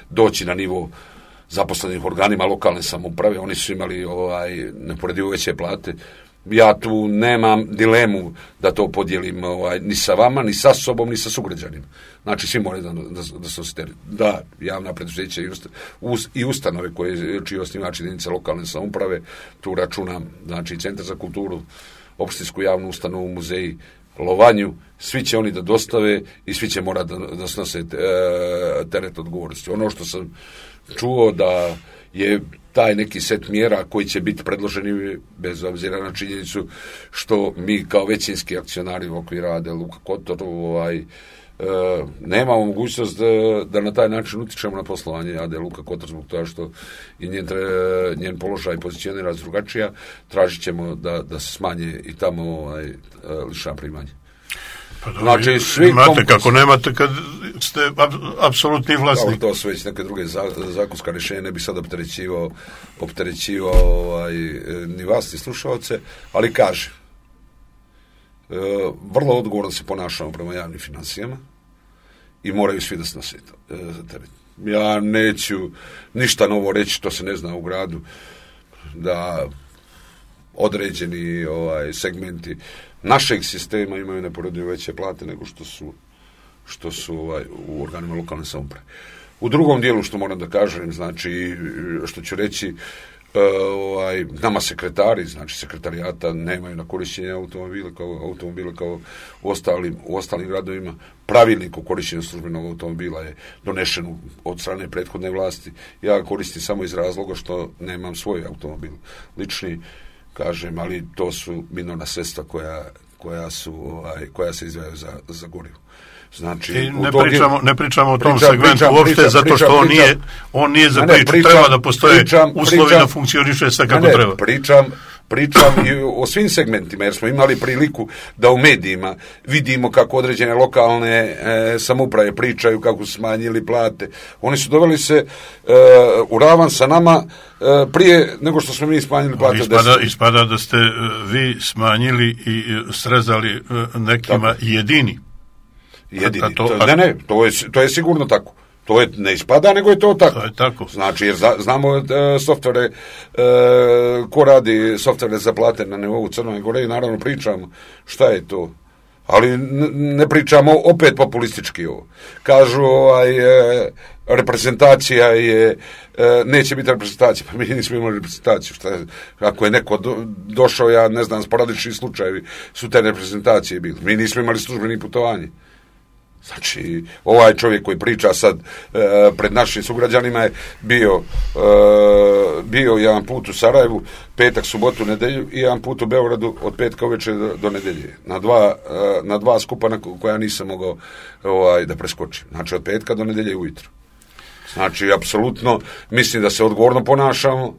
doći na nivo zaposlenih organima lokalne samouprave, oni su imali ovaj neuporedivo veće plate. Ja tu nemam dilemu da to podijelim ovaj, ni sa vama, ni sa sobom, ni sa sugrađanima. Znači, svi moraju da, da, da se osjetili. Da, javna preduzeća i, usta, us, i ustanove koje čiji osnivač jedinice lokalne samouprave, tu računam, znači, Centar za kulturu, opštinsku javnu ustanovu, muzeji, Lovanju, svi će oni da dostave i svi će morati da, da snose teret odgovornosti. Ono što sam čuo da je taj neki set mjera koji će biti predloženi bez obzira na činjenicu što mi kao većinski akcionari u okviru A D Luka Kotor ovaj, e, nemamo mogućnost da, da na taj način utičemo na poslovanje A D Luka Kotor zbog toga što i njen, njen položaj pozicionira drugačija, tražit ćemo da, da se smanje i tamo ovaj, lična primanja. Pa da, znači, svi imate konkurs, kako nemate kad ste ab, apsolutni vlasnik. To su već neke druge zakonska rješenja, ne bi sad opterećivao, opterećivao ovaj, ni vas, ni slušalce, ali kaže, e, vrlo odgovorno se ponašamo prema javnim financijama i moraju svi da snose e, teret. Ja neću ništa novo reći, to se ne zna u gradu, da određeni ovaj, segmenti našeg sistema imaju neporedivo veće plate nego što su, što su ovaj, u organima lokalne samouprave. U drugom dijelu što moram da kažem, znači, što ću reći, ovaj, nama sekretari, znači sekretarijata nemaju na korišćenje automobile kao, automobile kao u ostalim, u ostalim gradovima. Pravilnik o korišćenju službenog automobila je donešen od strane prethodne vlasti. Ja koristim samo iz razloga što nemam svoj automobil lični, kažem, ali to su minorna sredstva koja, koja, su, ovaj, koja se izdvajaju za, za gorivo. Znači, I ne, pričamo, je, ne pričamo o tom pričam, segmentu pričam, uopšte, pričam, zato što pričam, on, nije, on nije za priču. Pričam, treba da postoje pričam, uslovi pričam, da funkcioniše sve kako ne, treba. Pričam, pričam i o svim segmentima, jer smo imali priliku da u medijima vidimo kako određene lokalne e, samouprave pričaju, kako su smanjili plate. Oni su doveli se e, u ravan sa nama e, prije nego što smo mi smanjili plate. Ispada, ispada da ste vi smanjili i srezali nekima Tako. jedini. Jedini. To, to, ne, ne, to je, to je sigurno tako. To je, ne ispada, nego je to tako. To je tako. Znači, jer za, znamo uh, softvere, uh, ko radi softvere za plate na nivou Crne Gore i naravno pričamo šta je to. Ali n- ne pričamo opet populistički ovo. Kažu, ovaj, e, reprezentacija je, e, neće biti reprezentacija, pa mi nismo imali reprezentaciju. Šta je, ako je neko do, došao, ja ne znam, sporadični slučajevi su te reprezentacije bili. Mi nismo imali službeni putovanje. Znači, ovaj čovjek koji priča sad e, pred našim sugrađanima je bio e, bio jedan put u Sarajevu, petak, subotu, nedelju i jedan put u Beogradu od petka uveče do, do nedelje. Na dva, e, na dva skupa na koja nisam mogao ovaj, da preskočim. Znači, od petka do nedelje ujutro. Znači, apsolutno mislim da se odgovorno ponašamo.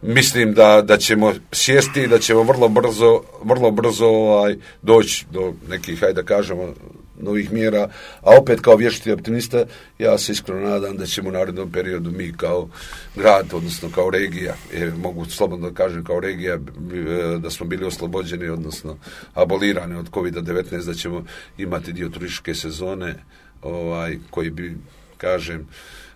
Mislim da, da ćemo sjesti i da ćemo vrlo brzo, vrlo brzo ovaj, doći do nekih, hajde da kažemo, novih mjera, a opet kao vječiti optimista, ja se iskreno nadam da ćemo u narednom periodu mi kao grad, odnosno kao regija, je, mogu slobodno da kažem kao regija, da smo bili oslobođeni, odnosno abolirani od kovid devetnaest, da ćemo imati dio turističke sezone, ovaj, koji bi, kažem,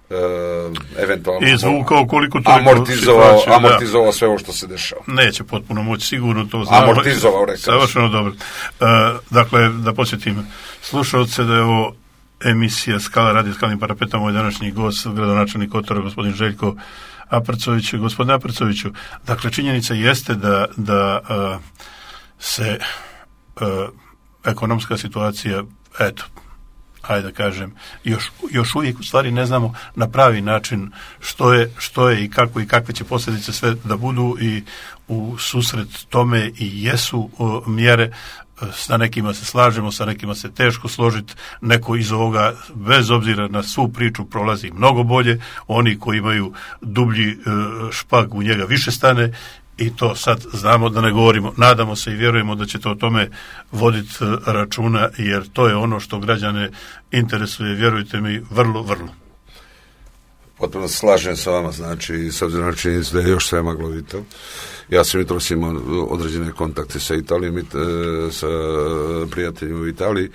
Uh, eventualno izvukao koliko to amortizovao, amortizovao sve ovo što se dešava. Neće potpuno moći, sigurno to znamo. Amortizovao, rekao. Savršeno dobro. Uh, dakle, da podsjetim slušalce da je ovo emisija Skala radi Skalnim parapetom, moj današnji gost, gradonačelnik Kotora, gospodin Željko Aprcović. Gospodine Aprcoviću, dakle, činjenica jeste da, da uh, se uh, ekonomska situacija, eto, ajde da kažem, još, još uvijek u stvari ne znamo na pravi način što je, što je i kako i kakve će posljedice sve da budu i u susret tome i jesu o, mjere. Sa nekima se slažemo, sa nekima se teško složiti, neko iz ovoga bez obzira na svu priču prolazi mnogo bolje, oni koji imaju dublji e, špag u njega više stane i to sad znamo da ne govorimo, nadamo se i vjerujemo da ćete o tome voditi računa jer to je ono što građane interesuje, vjerujte mi, vrlo, vrlo. Potpuno slažem sa vama, znači, s obzirom na činjenicu da je još sve maglovito. Ja sam jutros imao određene kontakte sa Italijom, sa prijateljima u Italiji.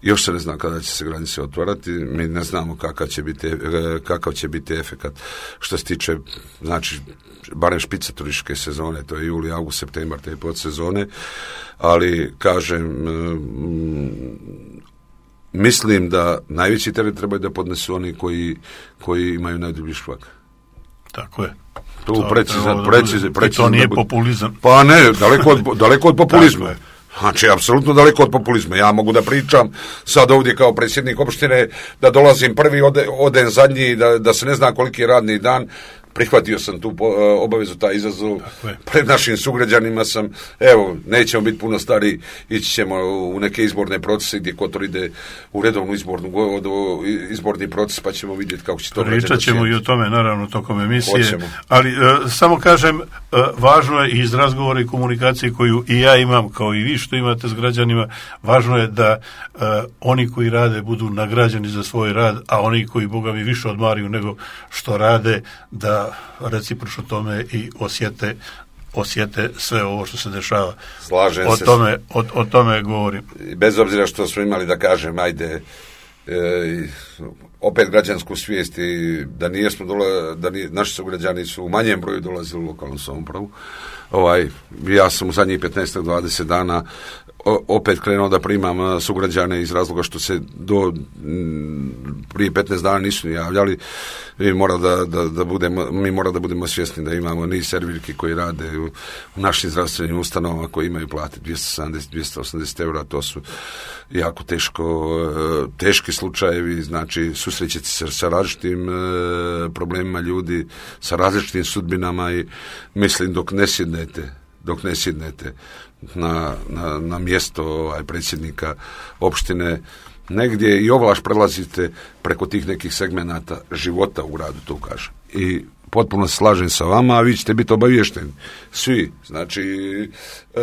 Još se ne zna kada će se granice otvarati. Mi ne znamo kakav će biti, kakav će biti efekat što se tiče, znači, barem špice turističke sezone, to je juli, august, septembar, te podsezone. Ali, kažem, mislim da najveći teret trebaju da podnesu oni koji, koji imaju najdublji špag. Tako je. Tu to, precizan, precizan, precizan. I to nije populizam. Pa ne, daleko od, daleko od populizma. Znači, apsolutno daleko od populizma. Ja mogu da pričam sad ovdje kao predsjednik opštine, da dolazim prvi, ode, odem zadnji, da, da se ne zna koliki je radni dan. Prihvatio sam tu obavezu, taj izazov. Pred našim sugrađanima sam, evo, nećemo biti puno stari, ići ćemo u neke izborne procese gdje Kotor ide u redovnu izbornu, izborni proces, pa ćemo vidjeti kako će to reći. Pričat ćemo i o tome, naravno, tokom emisije. Hoćemo. Ali, uh, samo kažem, uh, važno je iz razgovora i komunikacije koju i ja imam, kao i vi što imate s građanima, važno je da uh, oni koji rade budu nagrađeni za svoj rad, a oni koji, Boga mi, više odmaraju nego što rade, da recipročno tome i osjete, osjete sve ovo što se dešava. Slažem o se. Tome, o, o tome govorim. Bez obzira što smo imali, da kažem, ajde, e, opet građansku svijest i da nijesmo dola, da nije, naši sugrađani su u manjem broju dolazili u lokalnu samoupravu. Ovaj, ja sam u zadnjih petnaest do dvadeset dana opet krenuo da primam sugrađane iz razloga što se do prije petnaest dana nisu javljali. Mi mora da, da, da budemo, mi mora da budemo svjesni da imamo niz servirki koji rade u, u našim zdravstvenim ustanovama koji imaju plate dvjesto sedamdeset do dvjesto osamdeset eura. To su jako teško, teški slučajevi, znači susrećete se sa različitim e, problemima ljudi, sa različitim sudbinama i mislim dok ne sjednete dok ne sjednete na, na, na mjesto ovaj, predsjednika opštine, negdje i ovlaš prelazite preko tih nekih segmenata života u gradu, to kažem. I potpuno se slažem sa vama, a vi ćete biti obaviješteni. Svi. Znači, e,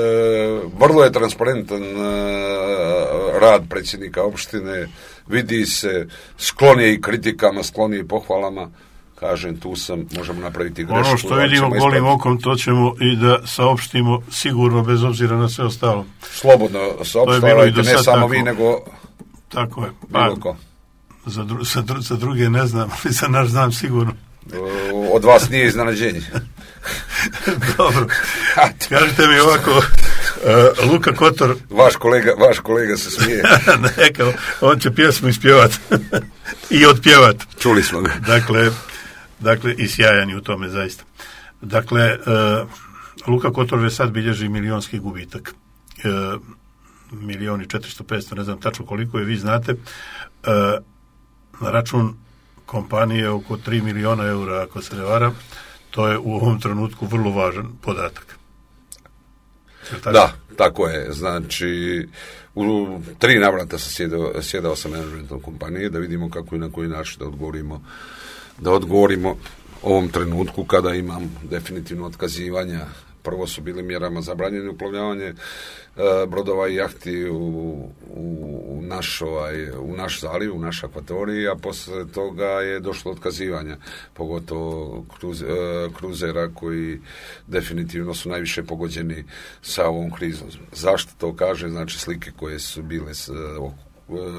vrlo je transparentan e, rad predsjednika opštine, vidi se, sklon je i kritikama, sklon je i pohvalama. Kažem, tu sam, možemo napraviti grešku. Ono što vidimo golim okom, to ćemo i da saopštimo sigurno, bez obzira na sve ostalo. Slobodno saopštavajte, ne samo tako. Vi, nego tako je. Pa, za, dru, za, dru, za druge ne znam, ali za naš znam sigurno. Od vas nije iznenađenje. Dobro. Kažite mi ovako, uh, Luka Kotor... Vaš kolega, vaš kolega se smije. Neka, on će pjesmu ispjevati i otpjevati. Čuli smo ga. Dakle, dakle, i sjajan je u tome, zaista. Dakle, uh, Luka Kotor već sad bilježi milionski gubitak. Uh, milioni četiristo petsto, ne znam tačno koliko je, vi znate. Uh, na račun kompanije oko tri miliona eura, ako se ne varam. To je u ovom trenutku vrlo važan podatak. Tako? Da, tako je. Znači, u tri navrata sam sjedao, sjedao sa menadžmentom kompanije da vidimo kako i na koji način da odgovorimo, da odgovorimo ovom trenutku kada imam definitivno otkazivanja. Prvo su bili mjerama zabranjene uplovljavanje e, brodova i jahti u, u, naš, ovaj, u naš zaliv, u naš akvatorij, a posle toga je došlo otkazivanja, pogotovo kruz, e, kruzera koji definitivno su najviše pogođeni sa ovom krizom. Zašto to kaže? Znači, slike koje su bile s,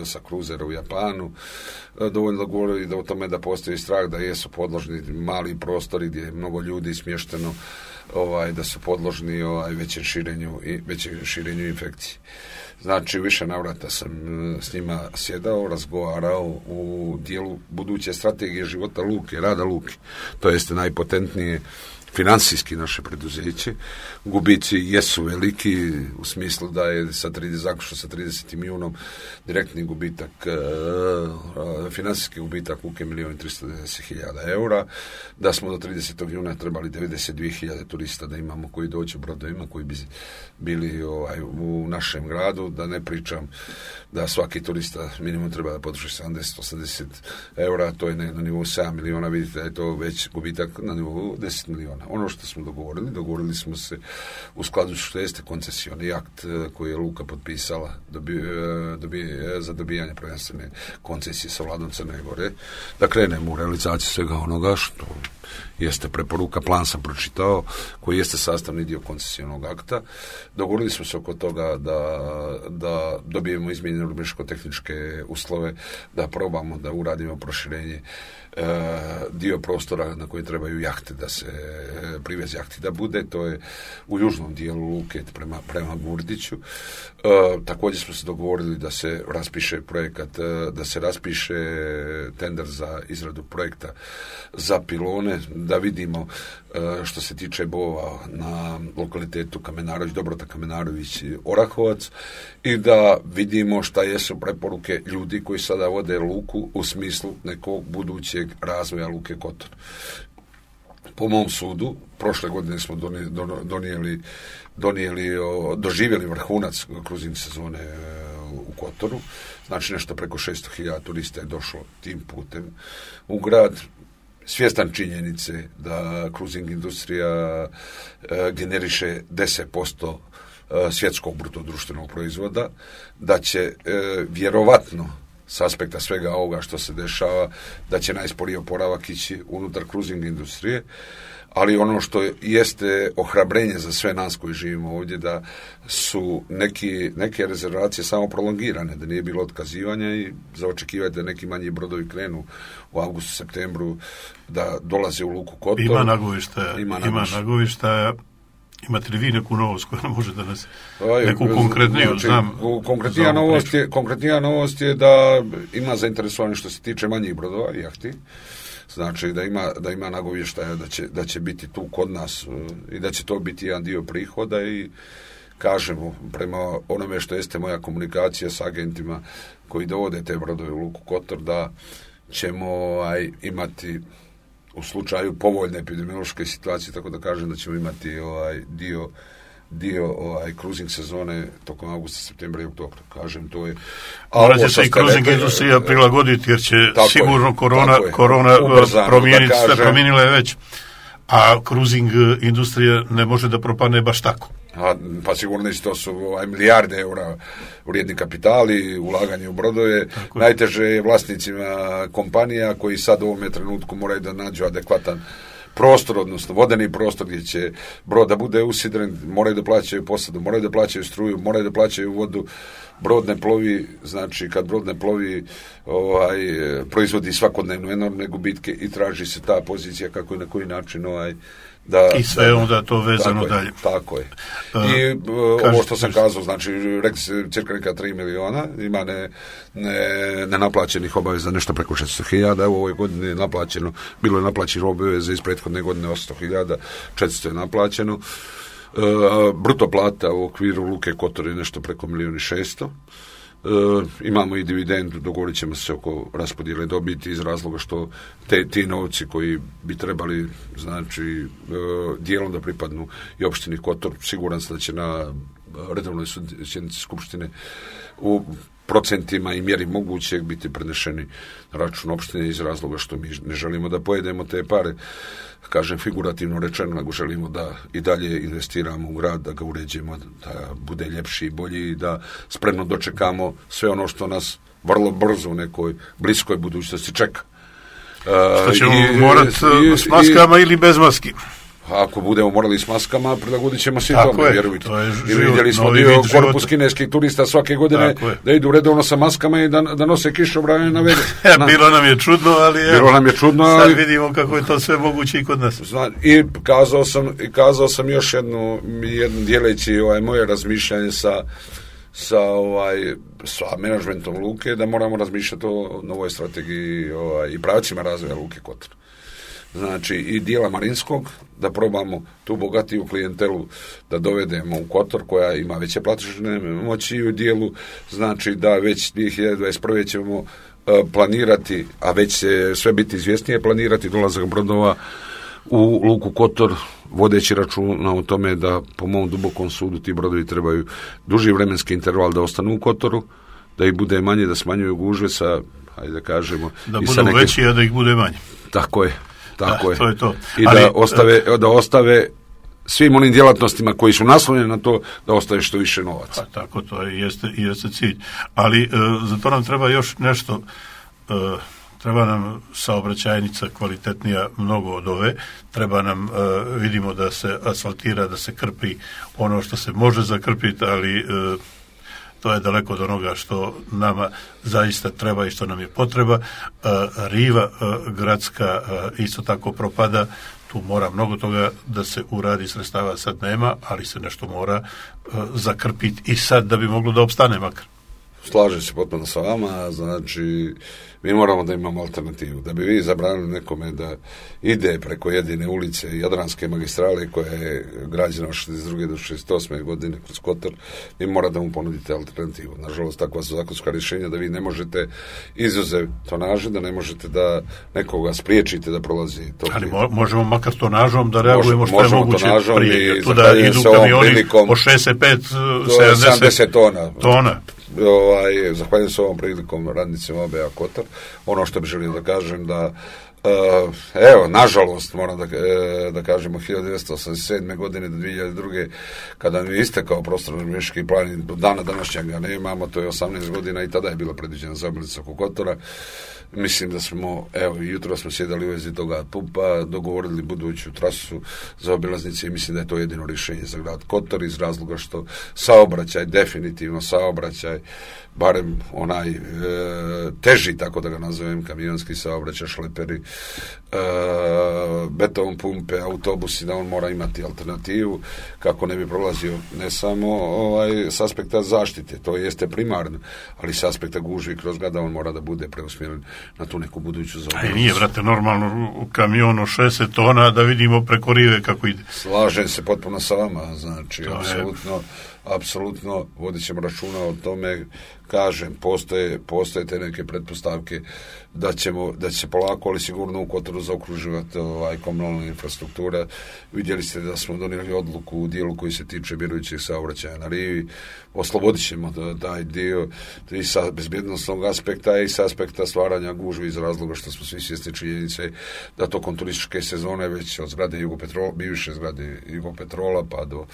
sa kruzera u Japanu dovoljno govori da o tome da postoji strah da jesu podložni mali prostori gdje je mnogo ljudi smješteno, ovaj, da su podložni ovaj, većem širenju i većem širenju infekcije. Znači, više navrata sam s njima sjedao, razgovarao u dijelu buduće strategije života luke, rada luke. To jeste najpotentnije financijski naše preduzeće. Gubici jesu veliki u smislu da je sa trideset zaključno sa trideset milijunom direktni gubitak, uh, financijski gubitak luke milijon i tristo devedeset hiljada eura, da smo do tridesetog juna trebali devedeset dvije hiljade turista da imamo koji dođu brodovima, koji bi bili ovaj, u našem gradu, da ne pričam da svaki turista minimum treba da potroši sedamdeset do osamdeset eura, to je na nivou sedam miliona, vidite da je to već gubitak na nivou deset miliona. Ono što smo dogovorili, dogovorili smo se u skladu što jeste koncesioni akt koji je luka potpisala dobi, dobi, za dobijanje prvenstvene koncesije sa vladom Crne Gore, da krenemo u realizaciju svega onoga što jeste preporuka, plan sam pročitao, koji jeste sastavni dio koncesijonog akta. Dogovorili smo se oko toga da, da dobijemo izmijenjene urbanističko-tehničke uslove, da probamo da uradimo proširenje e, dio prostora na koji trebaju jahte, da se e, privez jahti da bude, to je u južnom dijelu luke prema, prema Gurdiću. E, također smo se dogovorili da se raspiše projekat, e, da se raspiše tender za izradu projekta za pilone, da vidimo e, što se tiče bova na lokalitetu Kamenarović, Dobrota Kamenarović i Orahovac, i da vidimo šta jesu preporuke ljudi koji sada vode luku u smislu nekog budućeg razvoja luke Kotor. Po mom sudu, prošle godine smo donijeli, donijeli, donijeli o, doživjeli vrhunac kruzing sezone u Kotoru, znači nešto preko šesto hiljada turista je došlo tim putem u grad. Svjestan činjenice da kruzing industrija e, generiše deset posto e, svjetskog bruto društvenog proizvoda, da će e, vjerovatno s aspekta svega ovoga što se dešava, da će najsporiji oporavak ići unutar kruzing industrije, ali ono što jeste ohrabrenje za sve nas koji živimo ovdje, da su neki, neke rezervacije samo prolongirane, da nije bilo otkazivanja i za očekivati da neki manji brodovi krenu u avgustu, septembru, da dolaze u luku Kotor. Ima nagovišta, ima, ima nagovišta. Imate li vi neku novost koja može da nas neku konkretniju, znači, znam? Konkretnija novost, je, konkretnija novost je da ima zainteresovanje što se tiče manjih brodova i jahti. Znači da ima, da ima nagovještaja da će, da će biti tu kod nas i da će to biti jedan dio prihoda i kažemo prema onome što jeste moja komunikacija s agentima koji dovode te brodove u luku Kotor, da ćemo aj, imati u slučaju povoljne epidemiološke situacije, tako da kažem da ćemo imati ovaj dio dio ovaj kruzing sezone tokom avgusta, septembra i oktobra. Kažem, to je... Morat će se i kruzing industrija prilagoditi, jer će sigurno je, korona, korona ubrzano, promijeniti, kažem, sve promijenila je već. A kruzing industrija ne može da propadne baš tako. A, pa sigurno to su ovaj, milijarde eura vrijedni kapitali, ulaganje u brodove. Tako najteže je vlasnicima kompanija koji sad u ovome trenutku moraju da nađu adekvatan prostor, odnosno vodeni prostor gdje će brod da bude usidren, moraju da plaćaju posadu, moraju da plaćaju struju, moraju da plaćaju vodu. Brod ne plovi, znači kad brod ne plovi ovaj, proizvodi svakodnevno enormne gubitke i traži se ta pozicija kako i na koji način ovaj, da, i sve da, onda to vezano tako dalje. Je, tako je. I uh, ovo što sam kazao, znači rekli se cirka neka tri miliona, ima ne, ne, nenaplaćenih obaveza nešto preko šesto hiljada, u ovoj godini je naplaćeno, bilo je naplaćeno obaveza iz prethodne godine osamsto hiljada, četiristo je naplaćeno. Uh, bruto plata u okviru luke Kotor je nešto preko milijon i šesto. Uh, imamo i dividendu, dogovorit ćemo se oko raspodjele dobiti iz razloga što te, ti novci koji bi trebali, znači, uh, dijelom da pripadnu i opštini Kotor, siguran sam da će na redovnoj sjednici skupštine u procentima i mjeri mogućeg biti prenešeni na račun opštine iz razloga što mi ne želimo da pojedemo te pare, kažem figurativno rečeno, nego želimo da i dalje investiramo u grad, da ga uređujemo, da bude ljepši i bolji i da spremno dočekamo sve ono što nas vrlo brzo u nekoj bliskoj budućnosti čeka. Što ćemo uh, morat i, s maskama i, ili bez maski? Ako budemo morali s maskama, prilagodit ćemo se i tome, vjerujte. To je I vidjeli smo dio korpus kineskih turista svake godine da idu redovno sa maskama i da, da nose kišobrane na vege. Na, bilo nam je čudno, ali je, bilo nam je čudno, ali sad vidimo kako je to sve moguće i kod nas. Zna, I kazao sam, i kazao sam još jednu, jednu dijeleći ovaj, moje razmišljanje sa sa ovaj sa menadžmentom luke, da moramo razmišljati o novoj strategiji ovaj, i pravcima razvoja luke Kotor. znači i dijela Marinskog, da probamo tu bogatiju klijentelu da dovedemo u Kotor koja ima veće platežne moći i u dijelu, znači da već dvije hiljade dvadeset prve ćemo uh, planirati, a već će sve biti izvjesnije, planirati dolazak brodova u luku Kotor, vodeći računa o tome da po mom dubokom sudu ti brodovi trebaju duži vremenski interval da ostanu u Kotoru, da ih bude manje, da smanjuju gužve sa, hajde da kažemo, da budu neke... veći, a da ih bude manje. Tako je, tako da, je. To je to. I Ali, da ostave, da ostave svim onim djelatnostima koji su naslonjeni na to, da ostane što više novaca. Pa tako, to je, jeste, jeste cilj. Ali e, za to nam treba još nešto, e, treba nam saobraćajnica kvalitetnija mnogo od ove, treba nam, e, vidimo da se asfaltira, da se krpi ono što se može zakrpiti, ali e, to je daleko od onoga što nama zaista treba i što nam je potreba. E, riva e, gradska e, isto tako propada, tu mora mnogo toga da se uradi, sredstava sad nema, ali se nešto mora uh, zakrpiti i sad da bi moglo da opstane makar. Slažem se potpuno sa vama, znači mi moramo da imamo alternativu. Da bi vi zabranili nekome da ide preko jedine ulice Jadranske magistrale koja je građena od šezdeset druge do šezdeset osme godine kroz Kotor, vi mora da mu ponudite alternativu. Nažalost, takva su zakonska rješenja da vi ne možete izuzev tonaže, da ne možete da nekoga spriječite da prolazi to. Ali mo- možemo makar tonažom da reagujemo Mož, što je moguće prije. Tu da idu kamioni po šezdeset pet sedamdeset tona. tona. Ovaj, zahvaljujem se ovom prilikom radnicima O B A Kotor. Ono što bih želio da kažem da uh, evo, nažalost moram da, uh, da kažemo hiljadu devetsto osamdeset sedme godine do dvije hiljade druge kada mi je istekao prostorno urbanistički plan i do dana današnjeg ga nemamo, to je osamnaest godina i tada je bila predviđena zaobilaznica oko Kotora. Mislim da smo, evo, jutro smo sjedali u vezi toga pumpa, dogovorili buduću trasu za obilaznice i mislim da je to jedino rješenje za grad Kotor iz razloga što saobraćaj, definitivno saobraćaj, barem onaj e, teži, tako da ga nazovem, kamionski saobraćaj, šleperi, e, beton pumpe, autobusi, da on mora imati alternativu kako ne bi prolazio ne samo ovaj, s aspekta zaštite, to jeste primarno, ali s aspekta gužvi kroz grad on mora da bude preusmjeren na tu neku buduću zaobilaznicu. A nije, brate, normalno u kamionu šezdeset tona da vidimo preko rive kako ide. Slažem se potpuno sa vama, znači, to apsolutno je... apsolutno vodit ćemo računa o tome, kažem, postoje, postoje te neke pretpostavke da ćemo, da će se polako, ali sigurno u Kotoru zaokruživati ovaj, komunalna infrastruktura. Vidjeli ste da smo donijeli odluku u dijelu koji se tiče mirujućih saobraćaja na rivi, oslobodit ćemo taj dio i sa bezbjednostnog aspekta i sa aspekta stvaranja gužvi iz razloga što smo svi svjesni činjenice da tokom turističke sezone već od zgrade Jugopetrola, bivše zgrade Jugopetrola pa do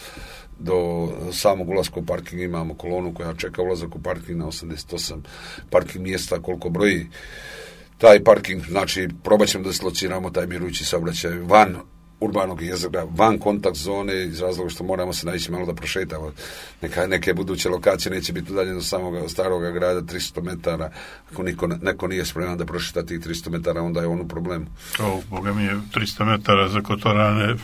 do samog ulaska u parking imamo kolonu koja čeka ulazak u parking na osamdeset osam parking mjesta koliko broji taj parking, znači probat ćemo da slociramo taj mirujući saobraćaj van urbanog jezera, van kontakt zone iz razloga što moramo se naići malo da prošetamo. Neka, neke buduće lokacije neće biti udaljene do samog staroga grada tristo metara. Ako niko, neko nije spreman da prošeta tih tristo metara, onda je on u problemu. O, Boga mi je tristo metara za Kotorane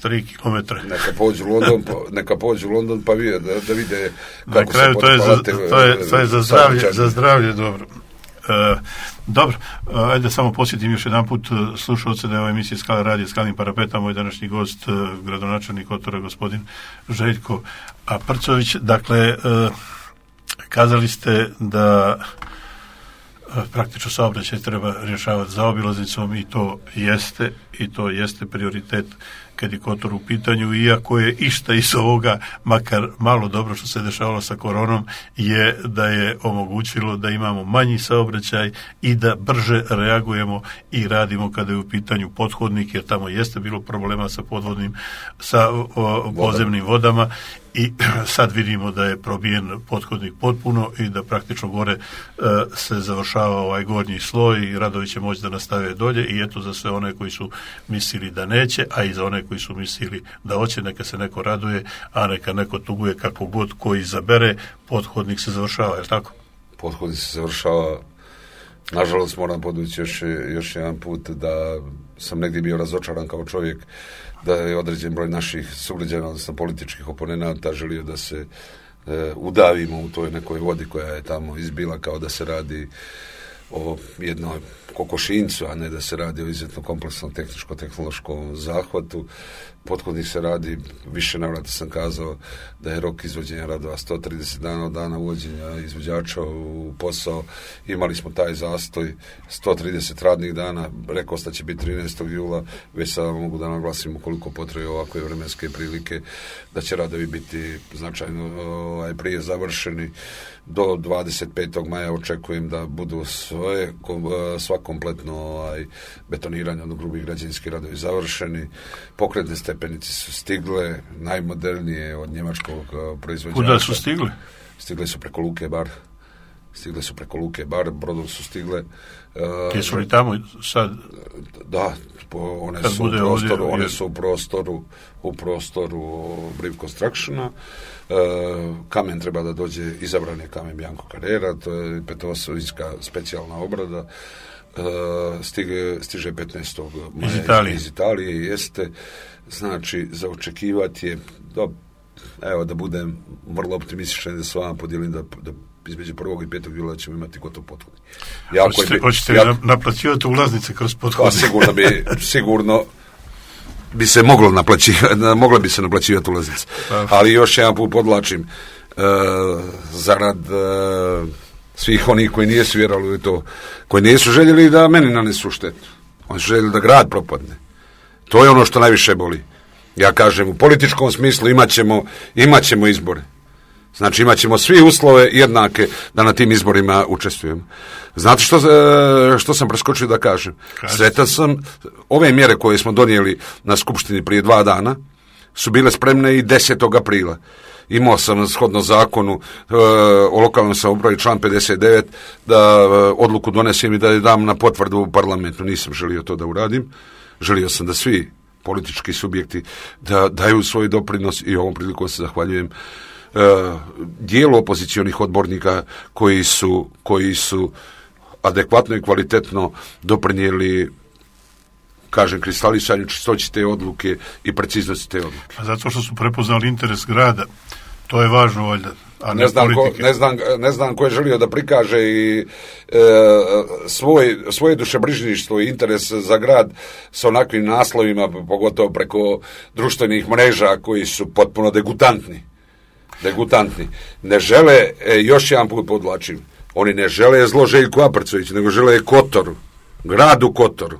tri kilometra. Neka pođu u London, pa, neka pođu u London pa vide, da, da vide kako na kraju, se to je, za, to, je, to je za zdravlje, za zdravlje dobro. E, dobro, ajde samo posjetim još jedan put slušalce da je ova emisija Skala radija Skalnim parapetom, moj današnji gost, gradonačelnik Kotora, gospodin Željko Aprcović. Dakle, e, kazali ste da praktično saobraćaj treba rješavati zaobilaznicom i to jeste, i to jeste prioritet kad je Kotor u pitanju, iako je išta iz ovoga, makar malo dobro što se dešavalo sa koronom, je da je omogućilo da imamo manji saobraćaj i da brže reagujemo i radimo kada je u pitanju pothodnik, jer tamo jeste bilo problema sa podvodnim, sa o, podzemnim vodama i sad vidimo da je probijen pothodnik potpuno i da praktično gore e, se završava ovaj gornji sloj i radovi će moći da nastave dolje i eto za sve one koji su mislili da neće, a i za one koji su mislili da hoće, neka se neko raduje, a neka neko tuguje, kako god koji izabere, pothodnik se završava, je li tako? Pothodnik se završava. Nažalost moram podvući još, još jedan put da sam negdje bio razočaran kao čovjek da je određen broj naših sugrađana, odnosno političkih oponenata želio da se e, udavimo u toj nekoj vodi koja je tamo izbila kao da se radi o jednoj kokošincu, a ne da se radi o izuzetno kompleksnom tehničko-tehnološkom zahvatu. Pothodnik se radi, više navrata sam kazao da je rok izvođenja radova sto trideset dana od dana uvođenja izvođača u posao. Imali smo taj zastoj sto trideset radnih dana, rekao da će biti trinaestog jula, već sada mogu da naglasim ukoliko potrebe ovakve vremenske prilike, da će radovi biti značajno ovaj, prije završeni. Do dvadeset petog maja očekujem da budu sve, sva kompletno ovaj, betoniranje od grubih građevinskih radovi završeni. Pokretne stepenice su stigle, najmodernije od njemačkog proizvođača. Kuda su stigle? Stigle su preko Luke Bar. Stigle su preko Luke Bar, brodom su stigle. Uh, Jesu li tamo sad? Da, one su u prostoru, ovdje, one su u prostoru, u prostoru Briv Constructiona. Uh, kamen treba da dođe, izabran je kamen Bianco Carrera, to je petosovijska specijalna obrada. Uh, stiže, stiže petnaestog maja iz Italije. iz Italije, jeste, znači za očekivati je, do, evo da budem vrlo optimističan da s vama podijelim da, da između prvog i petog jula ćemo imati gotov pothodnik. Hoćete, hoćete li jak, naplaćivati ulaznice kroz pothodnik? Pa sigurno bi, sigurno bi se moglo naplaćivati, mogla bi se naplaćivati ulaznice. Pa. Ali još jedan put podlačim, uh, zarad uh, svih onih koji nisu vjerovali u to, koji nisu željeli da meni nanesu štetu. Oni su željeli da grad propadne. To je ono što najviše boli. Ja kažem, u političkom smislu imat ćemo, imat ćemo izbore. Znači imat ćemo svi uslove jednake da na tim izborima učestvujemo. Znate što, što sam preskočio da kažem? Sretan sam, ove mjere koje smo donijeli na skupštini prije dva dana su bile spremne i desetog aprila. Imao sam shodno zakonu e, o lokalnoj samoupravi član pedeset devet da e, odluku donesem i da je dam na potvrdu u parlamentu. Nisam želio to da uradim. Želio sam da svi politički subjekti da daju svoj doprinos i ovom prilikom se zahvaljujem e, dijelu opozicionih odbornika koji su, koji su adekvatno i kvalitetno doprinijeli, kažem, kristalisanju čistoći te odluke i preciznosti te odluke. A zato što su prepoznali interes grada, to je važno valjda, a ne, ne znam politike. Ko, ne, znam, ne znam ko je želio da prikaže i e, svoj, svoje dušebrižništvo i interes za grad sa onakvim naslovima, pogotovo preko društvenih mreža koji su potpuno degutantni. Degutantni. Ne žele, e, još jedan put podlačim, oni ne žele zlo Željku Aprcoviću, nego žele Kotoru, gradu Kotoru.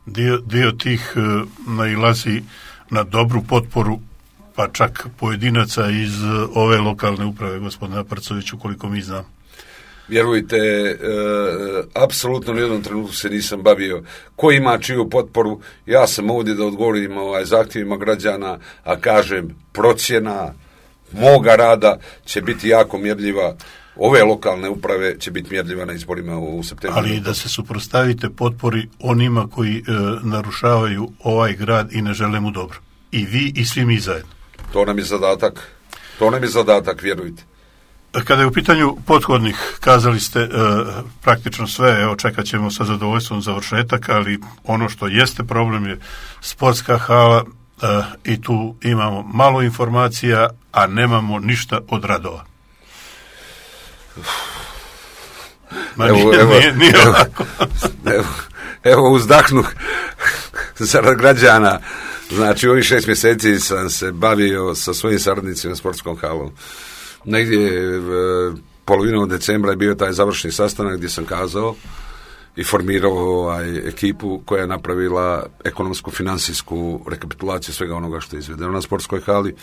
Dio, dio tih uh, nailazi na dobru potporu, pa čak pojedinaca iz uh, ove lokalne uprave, gospodina Aprcoviću, koliko mi znam. Vjerujte, e, apsolutno u jednom trenutku se nisam bavio ko ima čiju potporu. Ja sam ovdje da odgovorim ovaj, zahtjevima građana, a kažem, procjena moga rada će biti jako mjerljiva. Ove lokalne uprave će biti mjerljiva na izborima u septembru. Ali da se suprotstavite potpori onima koji e, narušavaju ovaj grad i ne žele mu dobro. I vi i svi mi zajedno. To nam je zadatak. To nam je zadatak, vjerujte. Kada je u pitanju pothodnik, kazali ste e, praktično sve, evo čekat ćemo sa zadovoljstvom završetak, ali ono što jeste problem je sportska hala e, i tu imamo malo informacija, a nemamo ništa od radova. Ma evo, nije, evo, nije, nije evo, evo, evo uzdahnu zarad građana. Znači, ovih šest mjeseci sam se bavio sa svojim saradnicima sportskom halom. Negdje polovinom decembra je bio taj završni sastanak gdje sam kazao i formirao ovaj, ekipu koja je napravila ekonomsko-financijsku rekapitulaciju svega onoga što je izvedeno na sportskoj hali.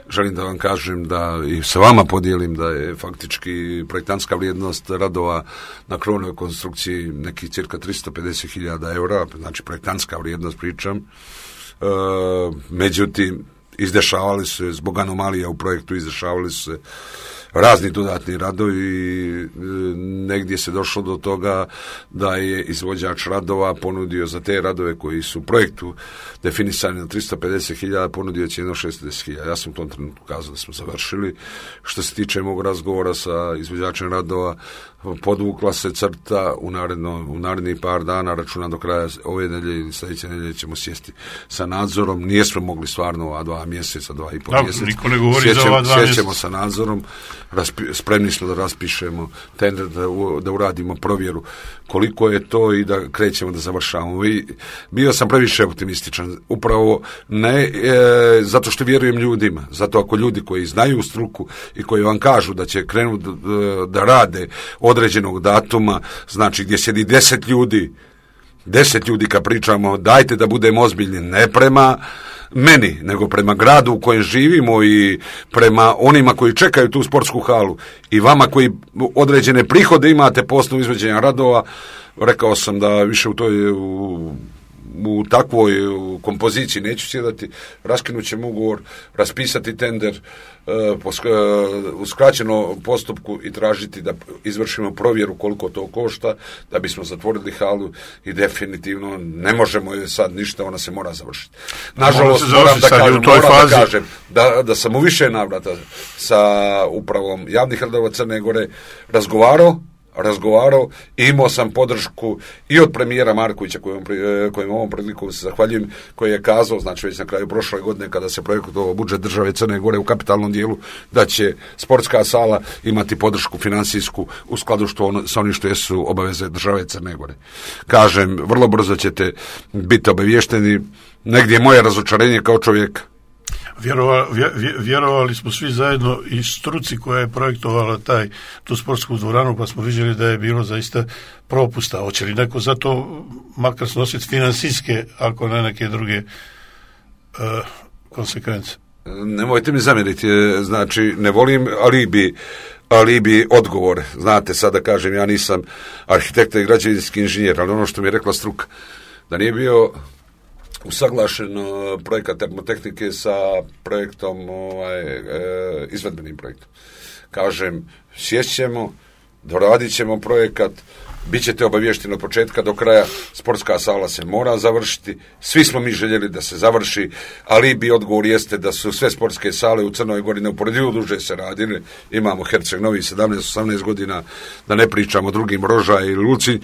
Želim da vam kažem da i sa vama podijelim da je faktički projektantska vrijednost radova na krovnoj konstrukciji nekih cirka tristo pedeset hiljada eura, znači projektantska vrijednost pričam. E, međutim, izdešavali se, zbog anomalija u projektu izdešavali se razni dodatni radovi i negdje se došlo do toga da je izvođač radova ponudio za te radove koji su u projektu definisani na tristo pedeset hiljada, ponudio cijenu šesto deset hiljada. Ja sam u tom trenutku kazao da smo završili. Što se tiče mog razgovora sa izvođačem radova, podvukla se crta u, naredno, u narednih par dana, računam do kraja ove nedelje ili sljedeće nedelje ćemo sjesti sa nadzorom. Nijesmo mogli stvarno ova dva mjeseca, dva i pol da, mjeseca. Niko ne govori za ova dva mjeseca. Sjećemo sa nadzorom. raspi, spremni smo da raspišemo tender, da, da uradimo provjeru koliko je to i da krećemo da završavamo. I bio sam previše optimističan, upravo ne e, zato što vjerujem ljudima, zato ako ljudi koji znaju struku i koji vam kažu da će krenuti da, da rade određenog datuma, znači gdje sjedi deset ljudi, deset ljudi kad pričamo, dajte da budemo ozbiljni, ne prema meni, nego prema gradu u kojem živimo i prema onima koji čekaju tu sportsku halu i vama koji određene prihode imate po osnovu izvođenja radova. Rekao sam da više u toj u, u takvoj kompoziciji neću sjedati, raskinut ćemo ugovor, raspisati tender u skraćenom postupku i tražiti da izvršimo provjeru koliko to košta da bismo zatvorili halu i definitivno ne možemo je sad ništa, ona se mora završiti. Nažalost, moram da kažem, moram da, kažem da, da sam u više navrata sa upravom javnih radova Crne Gore razgovarao, razgovarao i imao sam podršku i od premijera Markovića kojem, kojem ovom priliku se zahvaljujem, koji je kazao, znači već na kraju prošle godine kada se projektovao budžet države Crne Gore u kapitalnom dijelu, da će sportska sala imati podršku finansijsku u skladu što on, sa onim što jesu obaveze države Crne Gore. Kažem, vrlo brzo ćete biti obavješteni. Negdje je moje razočarenje kao čovjek. Vjerovali, vjerovali smo svi zajedno i struci koja je projektovala taj, tu sportsku dvoranu, pa smo vidjeli da je bilo zaista propusta. Hoće li neko za to makar snositi finansijske, ako ne neke druge uh, konsekvence? Nemojte mi zamjeriti, znači ne volim alibi, alibi odgovor. Znate, sada kažem, ja nisam arhitekta i građevinski inženjer, ali ono što mi je rekla struka, da nije bio usaglašen projekat termotehnike sa projektom, ovaj, e, izvedbenim projektom. Kažem, sješćemo, doradit ćemo projekat, bit ćete obavješteni od početka do kraja, sportska sala se mora završiti, svi smo mi željeli da se završi, ali bi odgovor jeste da su sve sportske sale u Crnoj Gori neuporedivo duže se radile, imamo Herceg Novi sedamnaest osamnaest godina, da ne pričamo o drugim, Roža i Luci.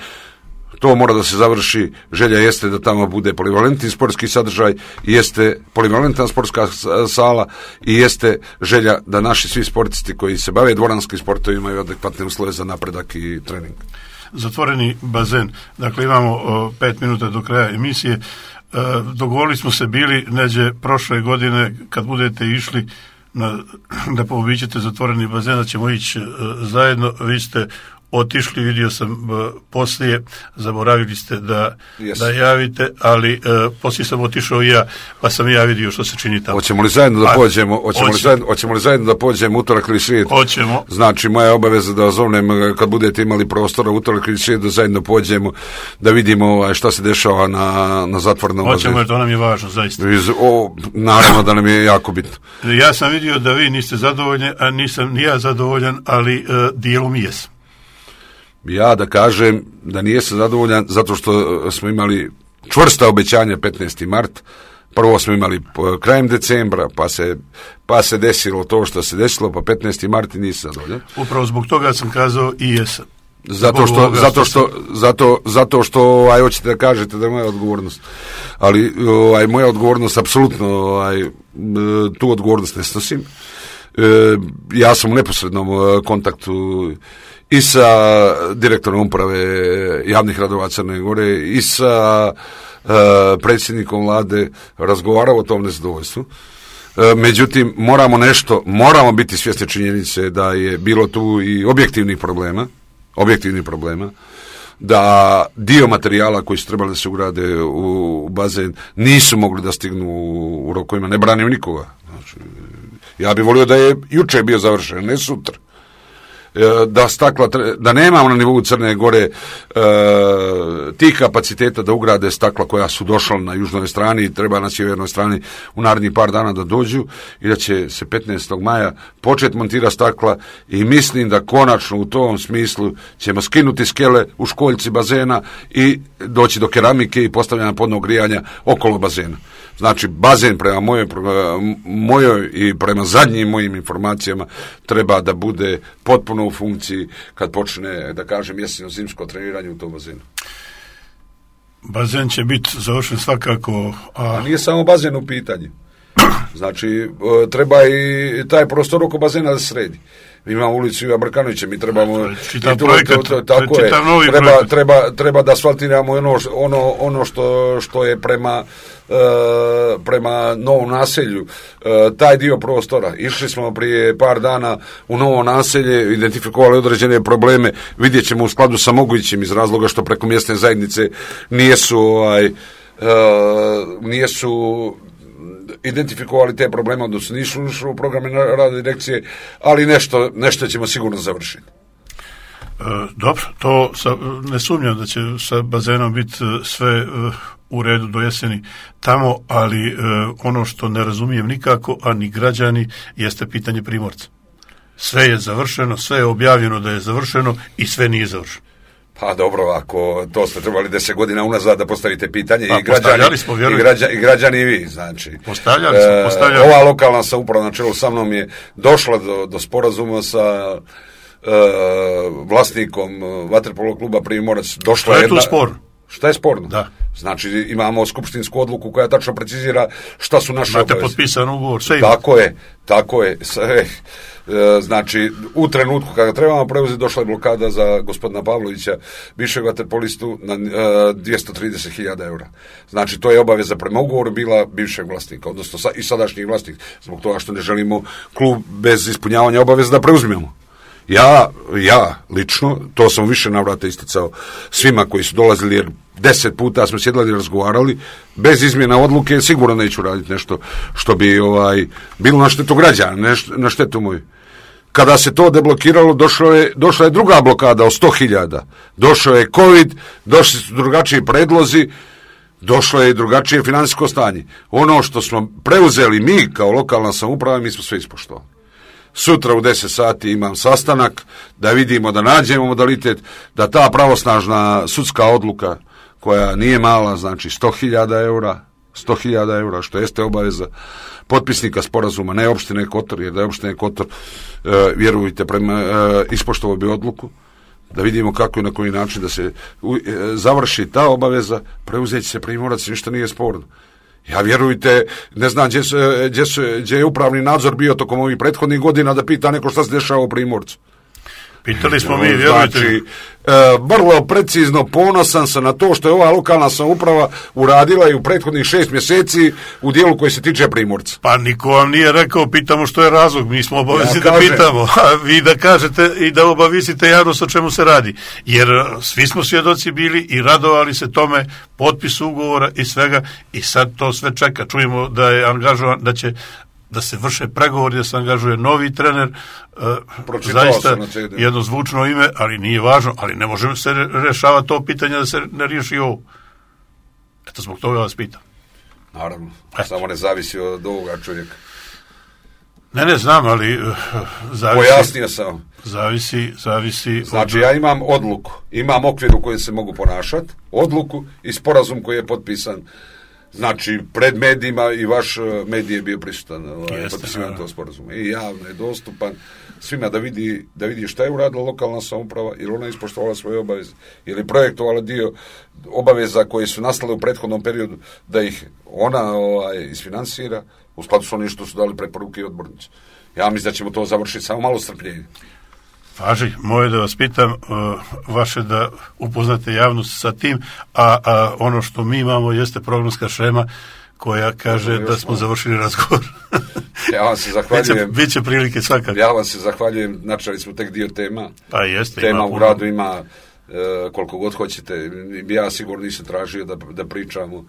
To mora da se završi, želja jeste da tamo bude polivalentni sportski sadržaj, jeste polivalentna sportska sala i jeste želja da naši svi sportisti koji se bave dvoranskim sportovima imaju adekvatne uslove za napredak i trening. Zatvoreni bazen, dakle imamo o, pet minuta do kraja emisije, e, dogovorili smo se bili neđe prošle godine kad budete išli na, da poobićete zatvoreni bazen, da ćemo ići e, zajedno, vi ste otišli, vidio sam uh, poslije, zaboravili ste da, yes. da javite, ali uh, poslije sam otišao i ja, pa sam i ja vidio što se čini tamo. Hoćemo li zajedno da pođemo, hoćemo li zajedno, hoćemo li zajedno da pođemo utorak ili srijedu? Hoćemo. Znači, moja obaveza da zovnem kad budete imali prostora utorak ili srijedu, zajedno pođemo, da vidimo šta se dešava na, na zatvornom bazenu. Hoćemo, jer to nam je važno, zaista. Iz, o, naravno da nam je jako bitno. Ja sam vidio da vi niste zadovoljni, a nisam ni ja zadovoljan, ali uh, dijelom jesam. Ja da kažem da nijesam zadovoljan zato što smo imali čvrsta obećanja petnaesti mart, prvo smo imali krajem decembra, pa se, pa se desilo to što se desilo, pa petnaesti mart i nisam zadovoljan. Upravo zbog toga sam kazao i jesam. Zato što, zato što, zato, zato što, aj, hoćete da kažete da je moja odgovornost, ali aj, moja odgovornost, apsolutno, aj, tu odgovornost ne snosim. E, ja sam u neposrednom kontaktu i sa direktorom uprave javnih radova Crne Gore i sa uh, predsjednikom vlade razgovarao o tom nezadovoljstvu. Uh, međutim, moramo nešto, moramo biti svjesni činjenice da je bilo tu i objektivnih problema, objektivnih problema, da dio materijala koji su trebali da se ugrade u, u bazen nisu mogli da stignu u, u rokovima, ne branim nikoga. Znači, ja bih volio da je juče bio završen, ne sutra. Da stakla, da nemamo na nivou Crne Gore e, tih kapaciteta da ugrade stakla koja su došla na južnoj strani i treba na sjevernoj strani u narednih par dana da dođu i da će se petnaestog maja početi montirati stakla i mislim da konačno u tom smislu ćemo skinuti skele u školjci bazena i doći do keramike i postavljanja podnog grijanja okolo bazena. Znači, bazen prema mojoj, mojoj i prema zadnjim mojim informacijama treba da bude potpuno u funkciji kad počne, da kažem, jeseno-zimsko treniranje u tom bazenu. Bazen će biti završen svakako. A, a nije samo bazen u pitanju. Znači, treba i taj prostor oko bazena da se sredi. Mi imamo ulicu Iva Brkanovića, mi trebamo... Čitav projekat, tako je, treba, treba, treba da asfaltiramo ono, ono, ono što, što je prema, uh, prema Novom naselju, uh, taj dio prostora. Išli smo prije par dana u Novo naselje, identifikovali određene probleme, vidjet ćemo u skladu sa mogućim iz razloga što preko mjesne zajednice nijesu, ovaj, uh, nijesu identifikovali te probleme, odnosno nisu ušli u programe rada direkcije, ali nešto, nešto ćemo sigurno završiti. E, dobro, to sa, ne sumnjam da će sa bazenom biti sve e, u redu do jeseni tamo, ali e, ono što ne razumijem nikako, a ni građani, jeste pitanje Primorca. Sve je završeno, sve je objavljeno da je završeno i sve nije završeno. Pa dobro, ako to ste trebali deset godina unazad da postavite pitanje, pa, i, građani, smo, i, građani, i građani i vi, znači. Postavljali smo, postavljali. E, ova lokalna samouprava na čelu sa mnom je došla do, do sporazuma sa e, vlasnikom vaterpolo kluba Primorac. Došla je jedna, tu sporno? Šta je sporno? Da. Znači, imamo skupštinsku odluku koja tačno precizira šta su naše obaveze. Imate potpisan ugovor, sve Tako je, tako je. Sve, znači, u trenutku kada trebamo preuzeti, došla je blokada za gospodina Pavlovića, bivšeg vaterpolistu, na dvjesto trideset hiljada eura. Znači, to je obaveza prema ugovoru bila bivšeg vlasnika, odnosno i sadašnjih vlasnik, zbog toga što ne želimo klub bez ispunjavanja obaveza da preuzmemo. Ja, ja, lično, to sam više navrata isticao svima koji su dolazili, jer deset puta smo sjedali i razgovarali, bez izmjena odluke sigurno neću raditi nešto što bi ovaj bilo na štetu građana, ne na štetu moju. Kada se to deblokiralo, došlo je, došla je druga blokada od sto hiljada. Došao je COVID, došli su drugačiji predlozi, došlo je i drugačije financijsko stanje. Ono što smo preuzeli mi kao lokalna samouprava, mi smo sve ispoštovali. Sutra u deset sati imam sastanak da vidimo, da nađemo modalitet, da ta pravosnažna sudska odluka koja nije mala, znači sto hiljada eura, sto hiljada eura, što jeste obaveza potpisnika sporazuma, ne opštine Kotor, jer da je opštine Kotor, e, vjerujte, prema, e, ispoštovao bi odluku, da vidimo kako i na koji način da se u, e, završi ta obaveza, preuzeći se Primorac, ništa nije sporno. Ja, vjerujte, ne znam gdje, gdje, gdje je upravni nadzor bio tokom ovih prethodnih godina da pita neko šta se dešava u Primorcu. Pitali smo mi, vjerujte. Znači, e, vrlo precizno ponosan sam na to što je ova lokalna samouprava uradila i u prethodnih šest mjeseci u dijelu koji se tiče Primorca. Pa niko vam nije rekao, pitamo što je razlog, mi smo obavezni ja da kažem. pitamo, a vi da kažete i da obavisite javnost o čemu se radi. Jer svi smo svjedoci bili i radovali se tome, potpis ugovora i svega, i sad to sve čeka. Čujemo da je angažovan, da će da se vrše pregovori, da se angažuje novi trener, uh, zaista jedno zvučno ime, ali nije važno, ali ne možemo se rešavati to pitanje da se ne riješi ovo. Eto, zbog toga vas pitam. Naravno, Eto. samo ne zavisi od ovoga čovjeka. Ne, ne znam, ali uh, zavisi... Pojasnio sam. Zavisi, zavisi... Znači, od... ja imam odluku, imam okvir u kojem se mogu ponašati, odluku i sporazum koji je potpisan. Znači, pred medijima i vaš medij je bio prisutan, ovaj, potpisivan to sporazum. I javno je dostupan svima da vidi, da vidi šta je uradila lokalna samouprava, ili ona ispoštovala svoje obaveze, ili projektovala dio obaveza koje su nastale u prethodnom periodu, da ih ona ovaj, isfinansira, u skladu s onim što su dali preporuke i odbornici. Ja mislim da ćemo to završiti, samo malo strpljenja. Važi, moje da vas pitam, vaše da upoznate javnost sa tim, a, a ono što mi imamo jeste programska šema koja kaže da smo završili razgovor. Ja vam se zahvaljujem. Biće, biće prilike svakako. Ja vam se zahvaljujem, načeli smo tek dio tema. Pa jeste. Tema u gradu ima e, koliko god hoćete. Ja sigurno nisam tražio da, da pričamo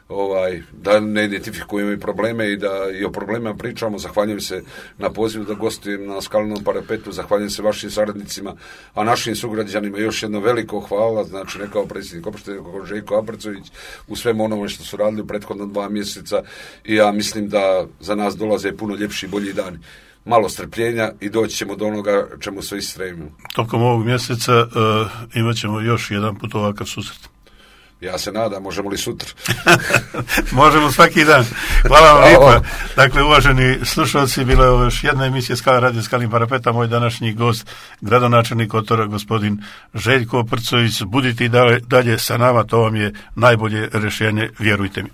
ovaj, da ne identifikujemo i probleme i da i o problemima pričamo. Zahvaljujem se na pozivu da gostujem na Skalinom parapetu, zahvaljujem se vašim saradnicima, a našim sugrađanima još jedno veliko hvala, znači ne kao predsjednik opštine, kao Željko Aprecović, u svemu onome što su radili u prethodno dva mjeseca, i ja mislim da za nas dolaze puno ljepši i bolji dani. Malo strpljenja i doći ćemo do onoga čemu sve stremimo. Tokom ovog mjeseca uh, imat ćemo još jedan put ovakav susret. Ja se nadam, možemo li sutra? Možemo svaki dan. Hvala vam lijepa. Dakle, uvaženi slušalci, bila je još jedna emisija Skala radio Skalin parapeta. Moj današnji gost, gradonačelnik Kotora, gospodin Željko Prcović. Budite i dalje, dalje sa nama, to vam je najbolje rješenje, vjerujte mi.